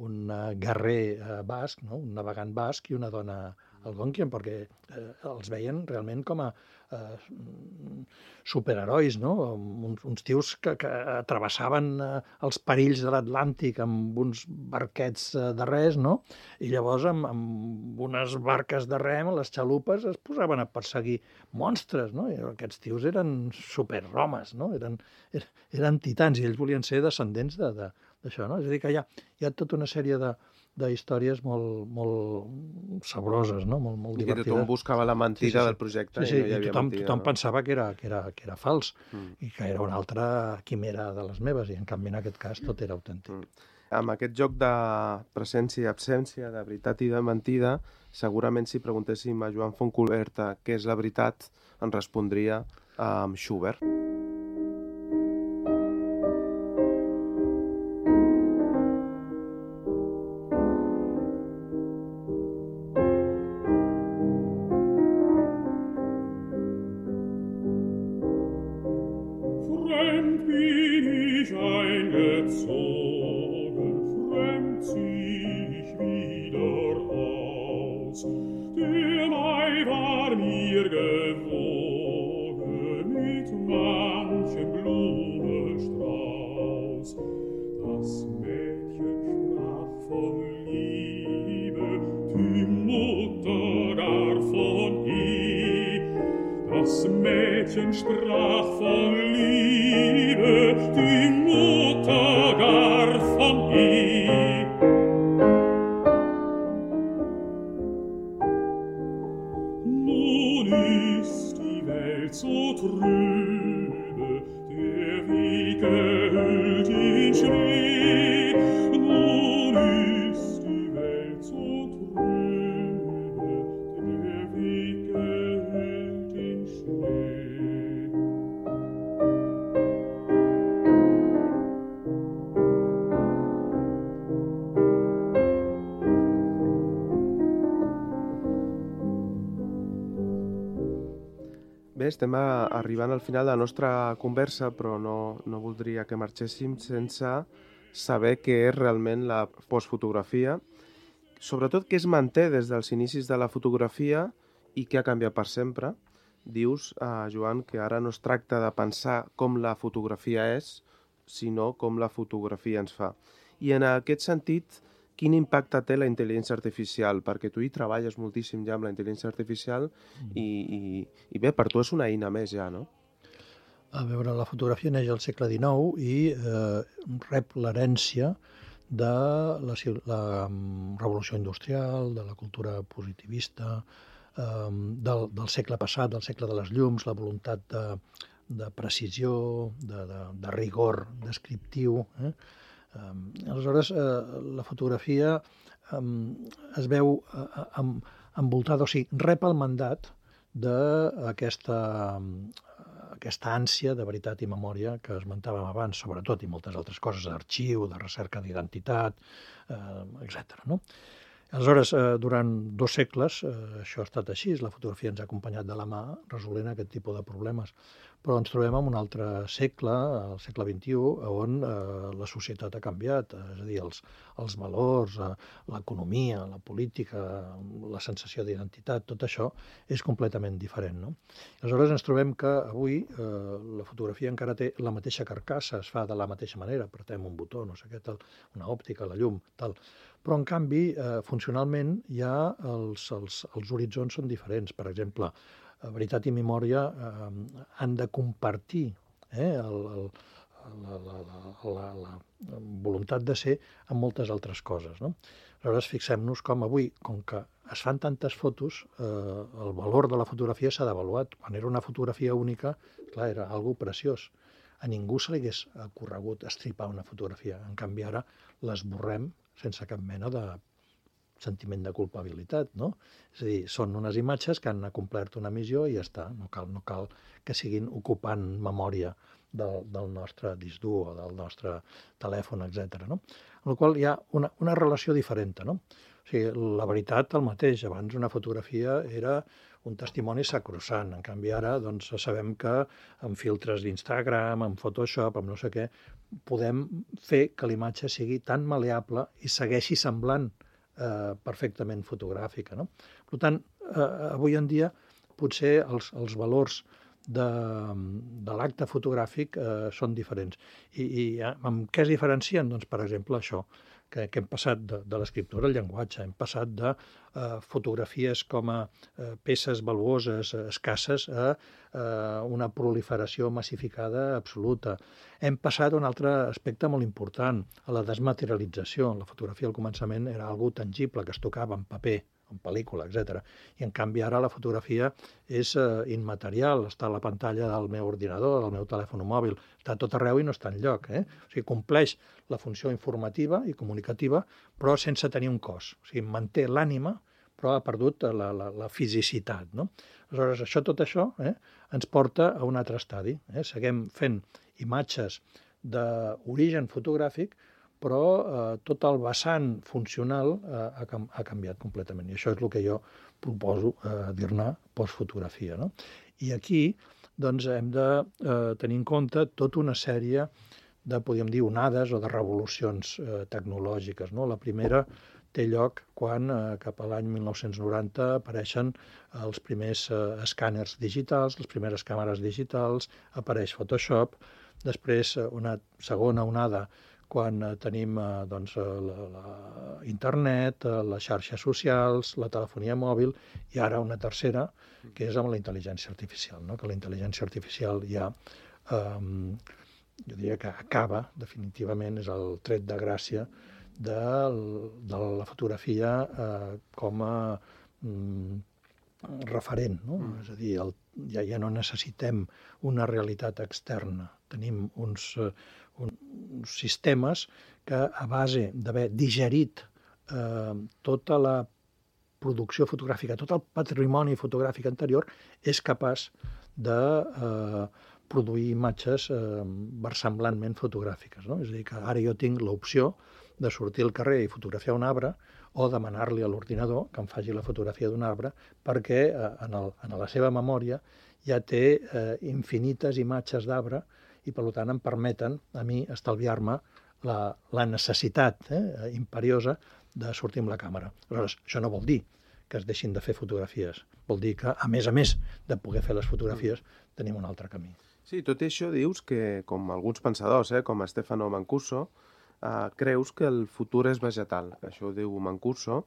un guerrer uh, basc, no? Un navegant basc i una dona Algonquian, perquè eh, els veien realment com a eh, superherois, no? uns, uns tios que, que travessaven eh, els perills de l'Atlàntic amb uns barquets eh, de res, no? I llavors amb, amb unes barques de rem, les xalupes, es posaven a perseguir monstres, no? I aquests tios eren superhomes, no? Eren, eren, eren titans, i ells volien ser descendents de, de, d'això, no? És a dir, que hi ha, hi ha tota una sèrie de d'històries molt, molt sabroses, no? molt, molt I que divertides. tothom buscava la mentida Sí, sí, sí. del projecte Sí, sí, i no hi i havia tothom, mentida. tothom no? pensava que era, que, era, que era fals Mm. i que era una altra quimera de les meves, i en canvi en aquest cas tot era autèntic. Mm. Amb aquest joc de presència i absència, de veritat i de mentida, segurament si preguntéssim a Joan Fontcuberta què és la veritat, ens respondria amb Schubert. Fremd bin ich eingezogen, fremd zieh ich wieder aus. Der Mai war mir gewogen mit manchem Blumenstrauß. Das Mädchen sprach von Liebe, die Mutter gar von Ehe. Das Mädchen sprach von Liebe, die Mutter gar von Ehe. Nun ist die Welt so trübe, der Weg gehüllt in Schnee. Nun ist die Welt so trübe, der Weg gehüllt in Schnee. Bé, estem a, arribant al final de la nostra conversa, però no, no voldria que marxéssim sense saber què és realment la postfotografia, sobretot què es manté des dels inicis de la fotografia i què ha canviat per sempre. Dius, eh, Joan, que ara no es tracta de pensar com la fotografia és, sinó com la fotografia ens fa. I en aquest sentit, quin impacte té la intel·ligència artificial? Perquè tu hi treballes moltíssim ja amb la intel·ligència artificial i, i, i bé, per tu és una eina més ja, no? A veure, la fotografia neix al segle dinou i eh, rep l'herència de la, la revolució industrial, de la cultura positivista, eh, del, del segle passat, del segle de les llums, la voluntat de, de precisió, de, de, de rigor descriptiu. Eh? Eh, aleshores, eh, la fotografia eh, es veu eh, em, envoltada, o sigui, rep el mandat d'aquesta aquesta ànsia de veritat i memòria que esmentàvem abans, sobretot, i moltes altres coses, d'arxiu, de recerca d'identitat, eh, etcètera. No? Aleshores, eh, durant dos segles, eh, això ha estat així, la fotografia ens ha acompanyat de la mà resolent aquest tipus de problemes. però ens trobem en un altre segle, el segle vint-i-u, on eh, la societat ha canviat, és a dir, els, els valors, eh, l'economia, la política, la sensació d'identitat, tot això és completament diferent, no? Aleshores ens trobem que avui eh, la fotografia encara té la mateixa carcassa, es fa de la mateixa manera, apretem un botó, no sé què, tal, una òptica, la llum, tal. Però, en canvi, eh, funcionalment, ja els, els, els horitzons són diferents. Per exemple, veritat i memòria eh, han de compartir eh, el, el, la, la, la, la, la voluntat de ser amb moltes altres coses, no? Aleshores, fixem-nos com avui, com que es fan tantes fotos, eh, el valor de la fotografia s'ha devaluat. Quan era una fotografia única, clar, era algo preciós. A ningú se li hagués corregut estripar una fotografia. En canvi, ara l'esborrem sense cap mena de sentiment de culpabilitat, no? És a dir, són unes imatges que han complert una missió i ja està, no cal, no cal que siguin ocupant memòria del, del nostre disc dur o del nostre telèfon, etcètera, no? Amb la qual hi ha una, una relació diferent, no? O sigui, la veritat, el mateix. Abans una fotografia era un testimoni sacrosant. En canvi, ara doncs, sabem que amb filtres d'Instagram, amb Photoshop, amb no sé què, podem fer que l'imatge sigui tan maleable i segueixi semblant Eh, perfectament fotogràfica, no? Per tant, eh, avui en dia potser els, els valors de, de l'acte fotogràfic eh, són diferents. I, i amb què es diferencien? Doncs, per exemple, això, que, que hem passat de, de l'escriptura al llenguatge, hem passat de eh, fotografies com a eh, peces valuoses, eh, escasses, a eh, una proliferació massificada absoluta. Hem passat a un altre aspecte molt important, a la desmaterialització. La fotografia al començament era algo tangible, que es tocava en paper, en pel·lícula, etcètera. I en canvi ara la fotografia és eh, immaterial, està a la pantalla del meu ordinador, del meu telèfon mòbil, està a tot arreu i no està enlloc. Eh? O sigui, compleix la funció informativa i comunicativa, però sense tenir un cos. O sigui, manté l'ànima, però ha perdut la, la, la fisicitat, no? Aleshores, això, tot això eh, ens porta a un altre estadi. Eh? Seguim fent imatges d'origen fotogràfic, però eh, tot el vessant funcional eh, ha, ha canviat completament. I això és el que jo proposo eh, dir-ne postfotografia, no? I aquí doncs, hem de eh, tenir en compte tota una sèrie de, podríem dir, onades o de revolucions eh, tecnològiques, no? La primera té lloc quan, eh, cap a l'any mil nou-cents noranta, apareixen els primers eh, escàners digitals, les primeres càmeres digitals, apareix Photoshop, després eh, una segona onada quan eh, tenim eh, doncs, la, la internet, eh, les xarxes socials, la telefonia mòbil, i ara una tercera, que és amb la intel·ligència artificial, no? Que la intel·ligència artificial ja, eh, jo diria que acaba, definitivament, és el tret de gràcia de, de la fotografia eh, com a mm, referent, no? Mm. És a dir, el, ja, ja no necessitem una realitat externa. Tenim uns, uh, uns sistemes que, a base d'haver digerit eh, tota la producció fotogràfica, tot el patrimoni fotogràfic anterior, és capaç de eh, produir imatges eh, versemblantment fotogràfiques, no? És a dir, que ara jo tinc l'opció de sortir al carrer i fotografiar un arbre o demanar-li a l'ordinador que em faci la fotografia d'un arbre perquè eh, en, el, en la seva memòria ja té eh, infinites imatges d'arbre i, per tant, em permeten a mi estalviar-me la, la necessitat eh, imperiosa de sortir amb la càmera. Aleshores, això no vol dir que es deixin de fer fotografies. Vol dir que, a més a més de poder fer les fotografies, tenim un altre camí. Sí, tot i això dius que, com alguns pensadors, eh, com Stefano Mancuso, Uh, creus que el futur és vegetal, que això ho diu Mancuso.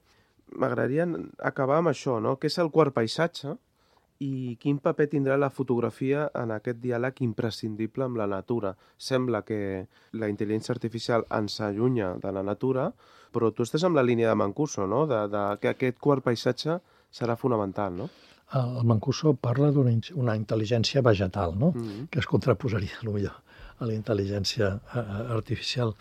M'agradaria acabar amb això, no? Què és el quart paisatge i quin paper tindrà la fotografia en aquest diàleg imprescindible amb la natura? Sembla que la intel·ligència artificial ens allunya de la natura, però tu estàs amb la línia de Mancuso, no? De, de, que aquest quart paisatge serà fonamental, no? El Mancuso parla d'una una intel·ligència vegetal, no? Mm-hmm. Que es contraposaria, potser, a la intel·ligència artificial.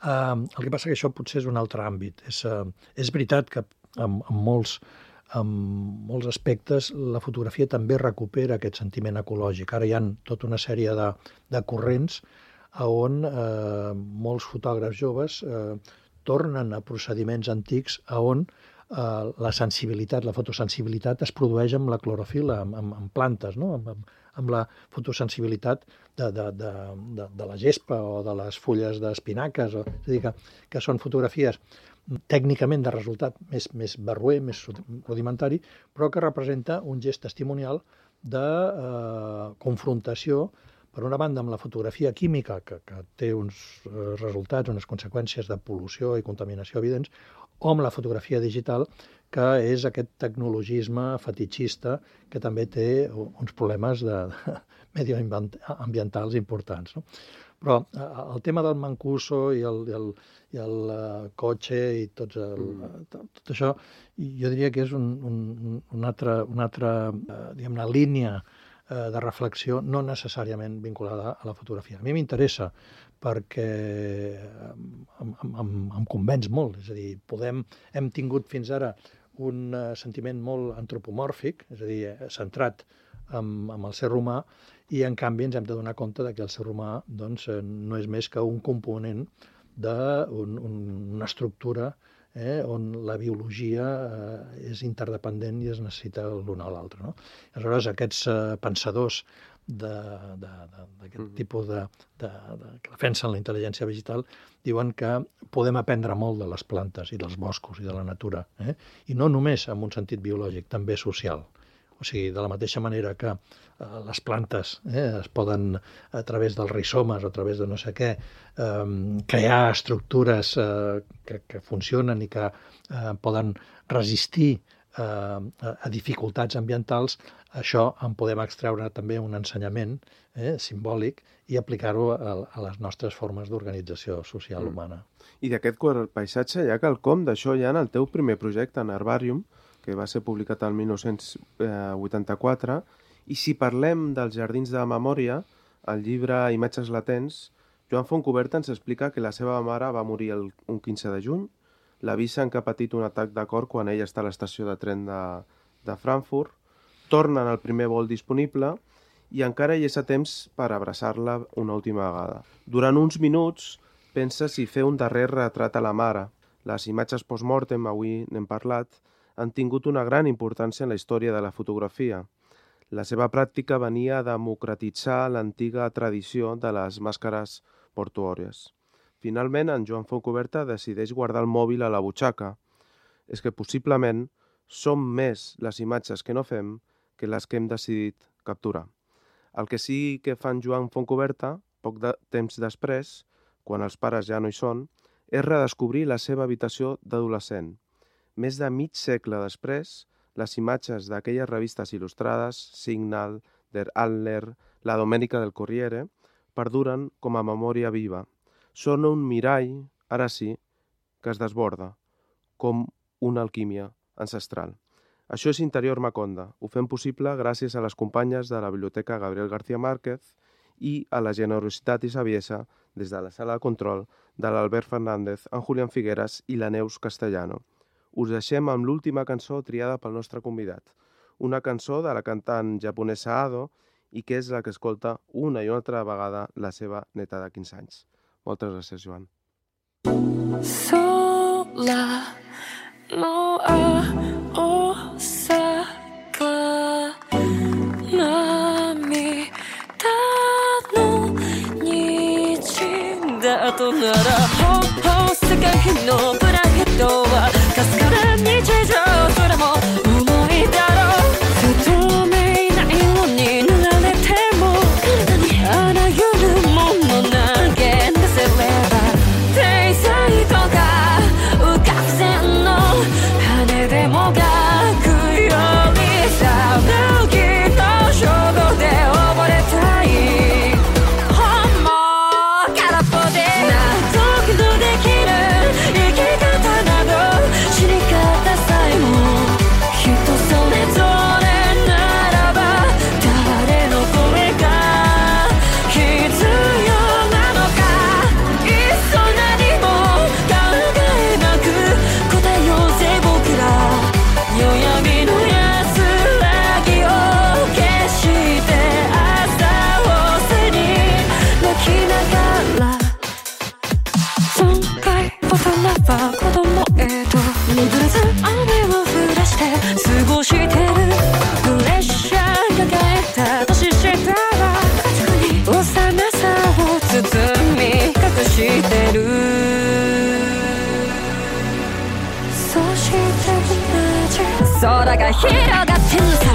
Uh, el que passa que això potser és un altre àmbit. És, uh, és veritat que en, en, molts, en molts aspectes la fotografia també recupera aquest sentiment ecològic. Ara hi ha tota una sèrie de, de corrents on uh, molts fotògrafs joves uh, tornen a procediments antics on uh, la sensibilitat, la fotosensibilitat es produeix amb la clorofil·la, amb, amb, amb plantes, no? amb, amb, amb la fotosensibilitat de, de, de, de, de la gespa o de les fulles d'espinaques. O, és a dir, que, que són fotografies tècnicament de resultat més, més barroer, més rudimentari, però que representa un gest testimonial de eh, confrontació, per una banda, amb la fotografia química, que, que té uns eh, resultats, unes conseqüències de pol·lució i contaminació evidents, o amb la fotografia digital, que és aquest tecnologisme fetitxista que també té uns problemes de, de medioambientals importants. No? Però eh, el tema del Mancuso i el, i el, i el uh, cotxe i tots el, tot, tot això, jo diria que és un, un, una altra, una altra uh, diguem-ne, línia de reflexió no necessàriament vinculada a la fotografia. A mi m'interessa perquè em, em, em convenç molt, és a dir, podem, hem tingut fins ara un sentiment molt antropomòrfic, és a dir, centrat en, en el ser humà, i en canvi ens hem de donar compte que el ser humà doncs, no és més que un component d'una un, estructura Eh, on la biologia eh, és interdependent i es necessita l'un a l'altre. No? Aleshores, aquests eh, pensadors d'aquest mm. tipus de, de, de, que defensen la intel·ligència vegetal diuen que podem aprendre molt de les plantes i dels boscos i de la natura, eh? I no només en un sentit biològic, també social. O sigui, de la mateixa manera que eh, les plantes eh, es poden, a través dels rizomes o a través de no sé què, eh, crear estructures eh, que, que funcionen i que eh, poden resistir eh, a dificultats ambientals, això en podem extreure també un ensenyament eh, simbòlic i aplicar-ho a, a les nostres formes d'organització social humana. I d'aquest quart paisatge hi ha quelcom d'això ja en el teu primer projecte, en Herbarium, que va ser publicat el mil nou-cents vuitanta-quatre, i si parlem dels Jardins de la Memòria, al llibre Imatges latents, Joan Fontcuberta ens explica que la seva mare va morir el, un quinze de juny, l'avisen que ha patit un atac de cor quan ell està a l'estació de tren de, de Frankfurt, tornen al primer vol disponible i encara hi és a temps per abraçar-la una última vegada. Durant uns minuts pensa si fer un darrer retrat a la mare. Les imatges post-mortem, avui n'hem parlat, han tingut una gran importància en la història de la fotografia. La seva pràctica venia a democratitzar l'antiga tradició de les màscares mortuòries. Finalment, en Joan Fontcuberta decideix guardar el mòbil a la butxaca. És que possiblement són més les imatges que no fem que les que hem decidit capturar. El que sí que fa en Joan Fontcuberta, poc de temps després, quan els pares ja no hi són, és redescobrir la seva habitació d'adolescent. Més de mig segle després, les imatges d'aquelles revistes il·lustrades, Signal, Der Adler, La Domenica del Corriere, perduren com a memòria viva. Són un mirall, ara sí, que es desborda, com una alquímia ancestral. Això és Interior Maconda. Ho fem possible gràcies a les companyes de la Biblioteca Gabriel García Márquez i a la generositat i saviesa des de la sala de control de l'Albert Fernández, en Julián Figueras i la Neus Castellano. Us deixem amb l'última cançó triada pel nostre convidat. Una cançó de la cantant japonesa Ado i que és la que escolta una i una altra vegada la seva neta de quinze anys. Moltes gràcies, Joan. Sola no a Osaka涙の虹だとならほほ世界のプライドはかすかな日常それも重いだろう不透明な色に塗られても体にあらゆるもの投げ出せれば天才とか浮かぶ線の羽でもがくよりさ抜きの衝動で溺れたい本望空っぽで納得のできる生き方など死に方さえも人それぞれならば誰の声が必要なのかいっそ何も考えなく答えようぜ僕ら夜闇の安らぎを消して朝を背に泣きながら損壊大人は子供へと譲らず雨を降らして過ごしてるプレッシャー抱えた年下空が広がってるのさ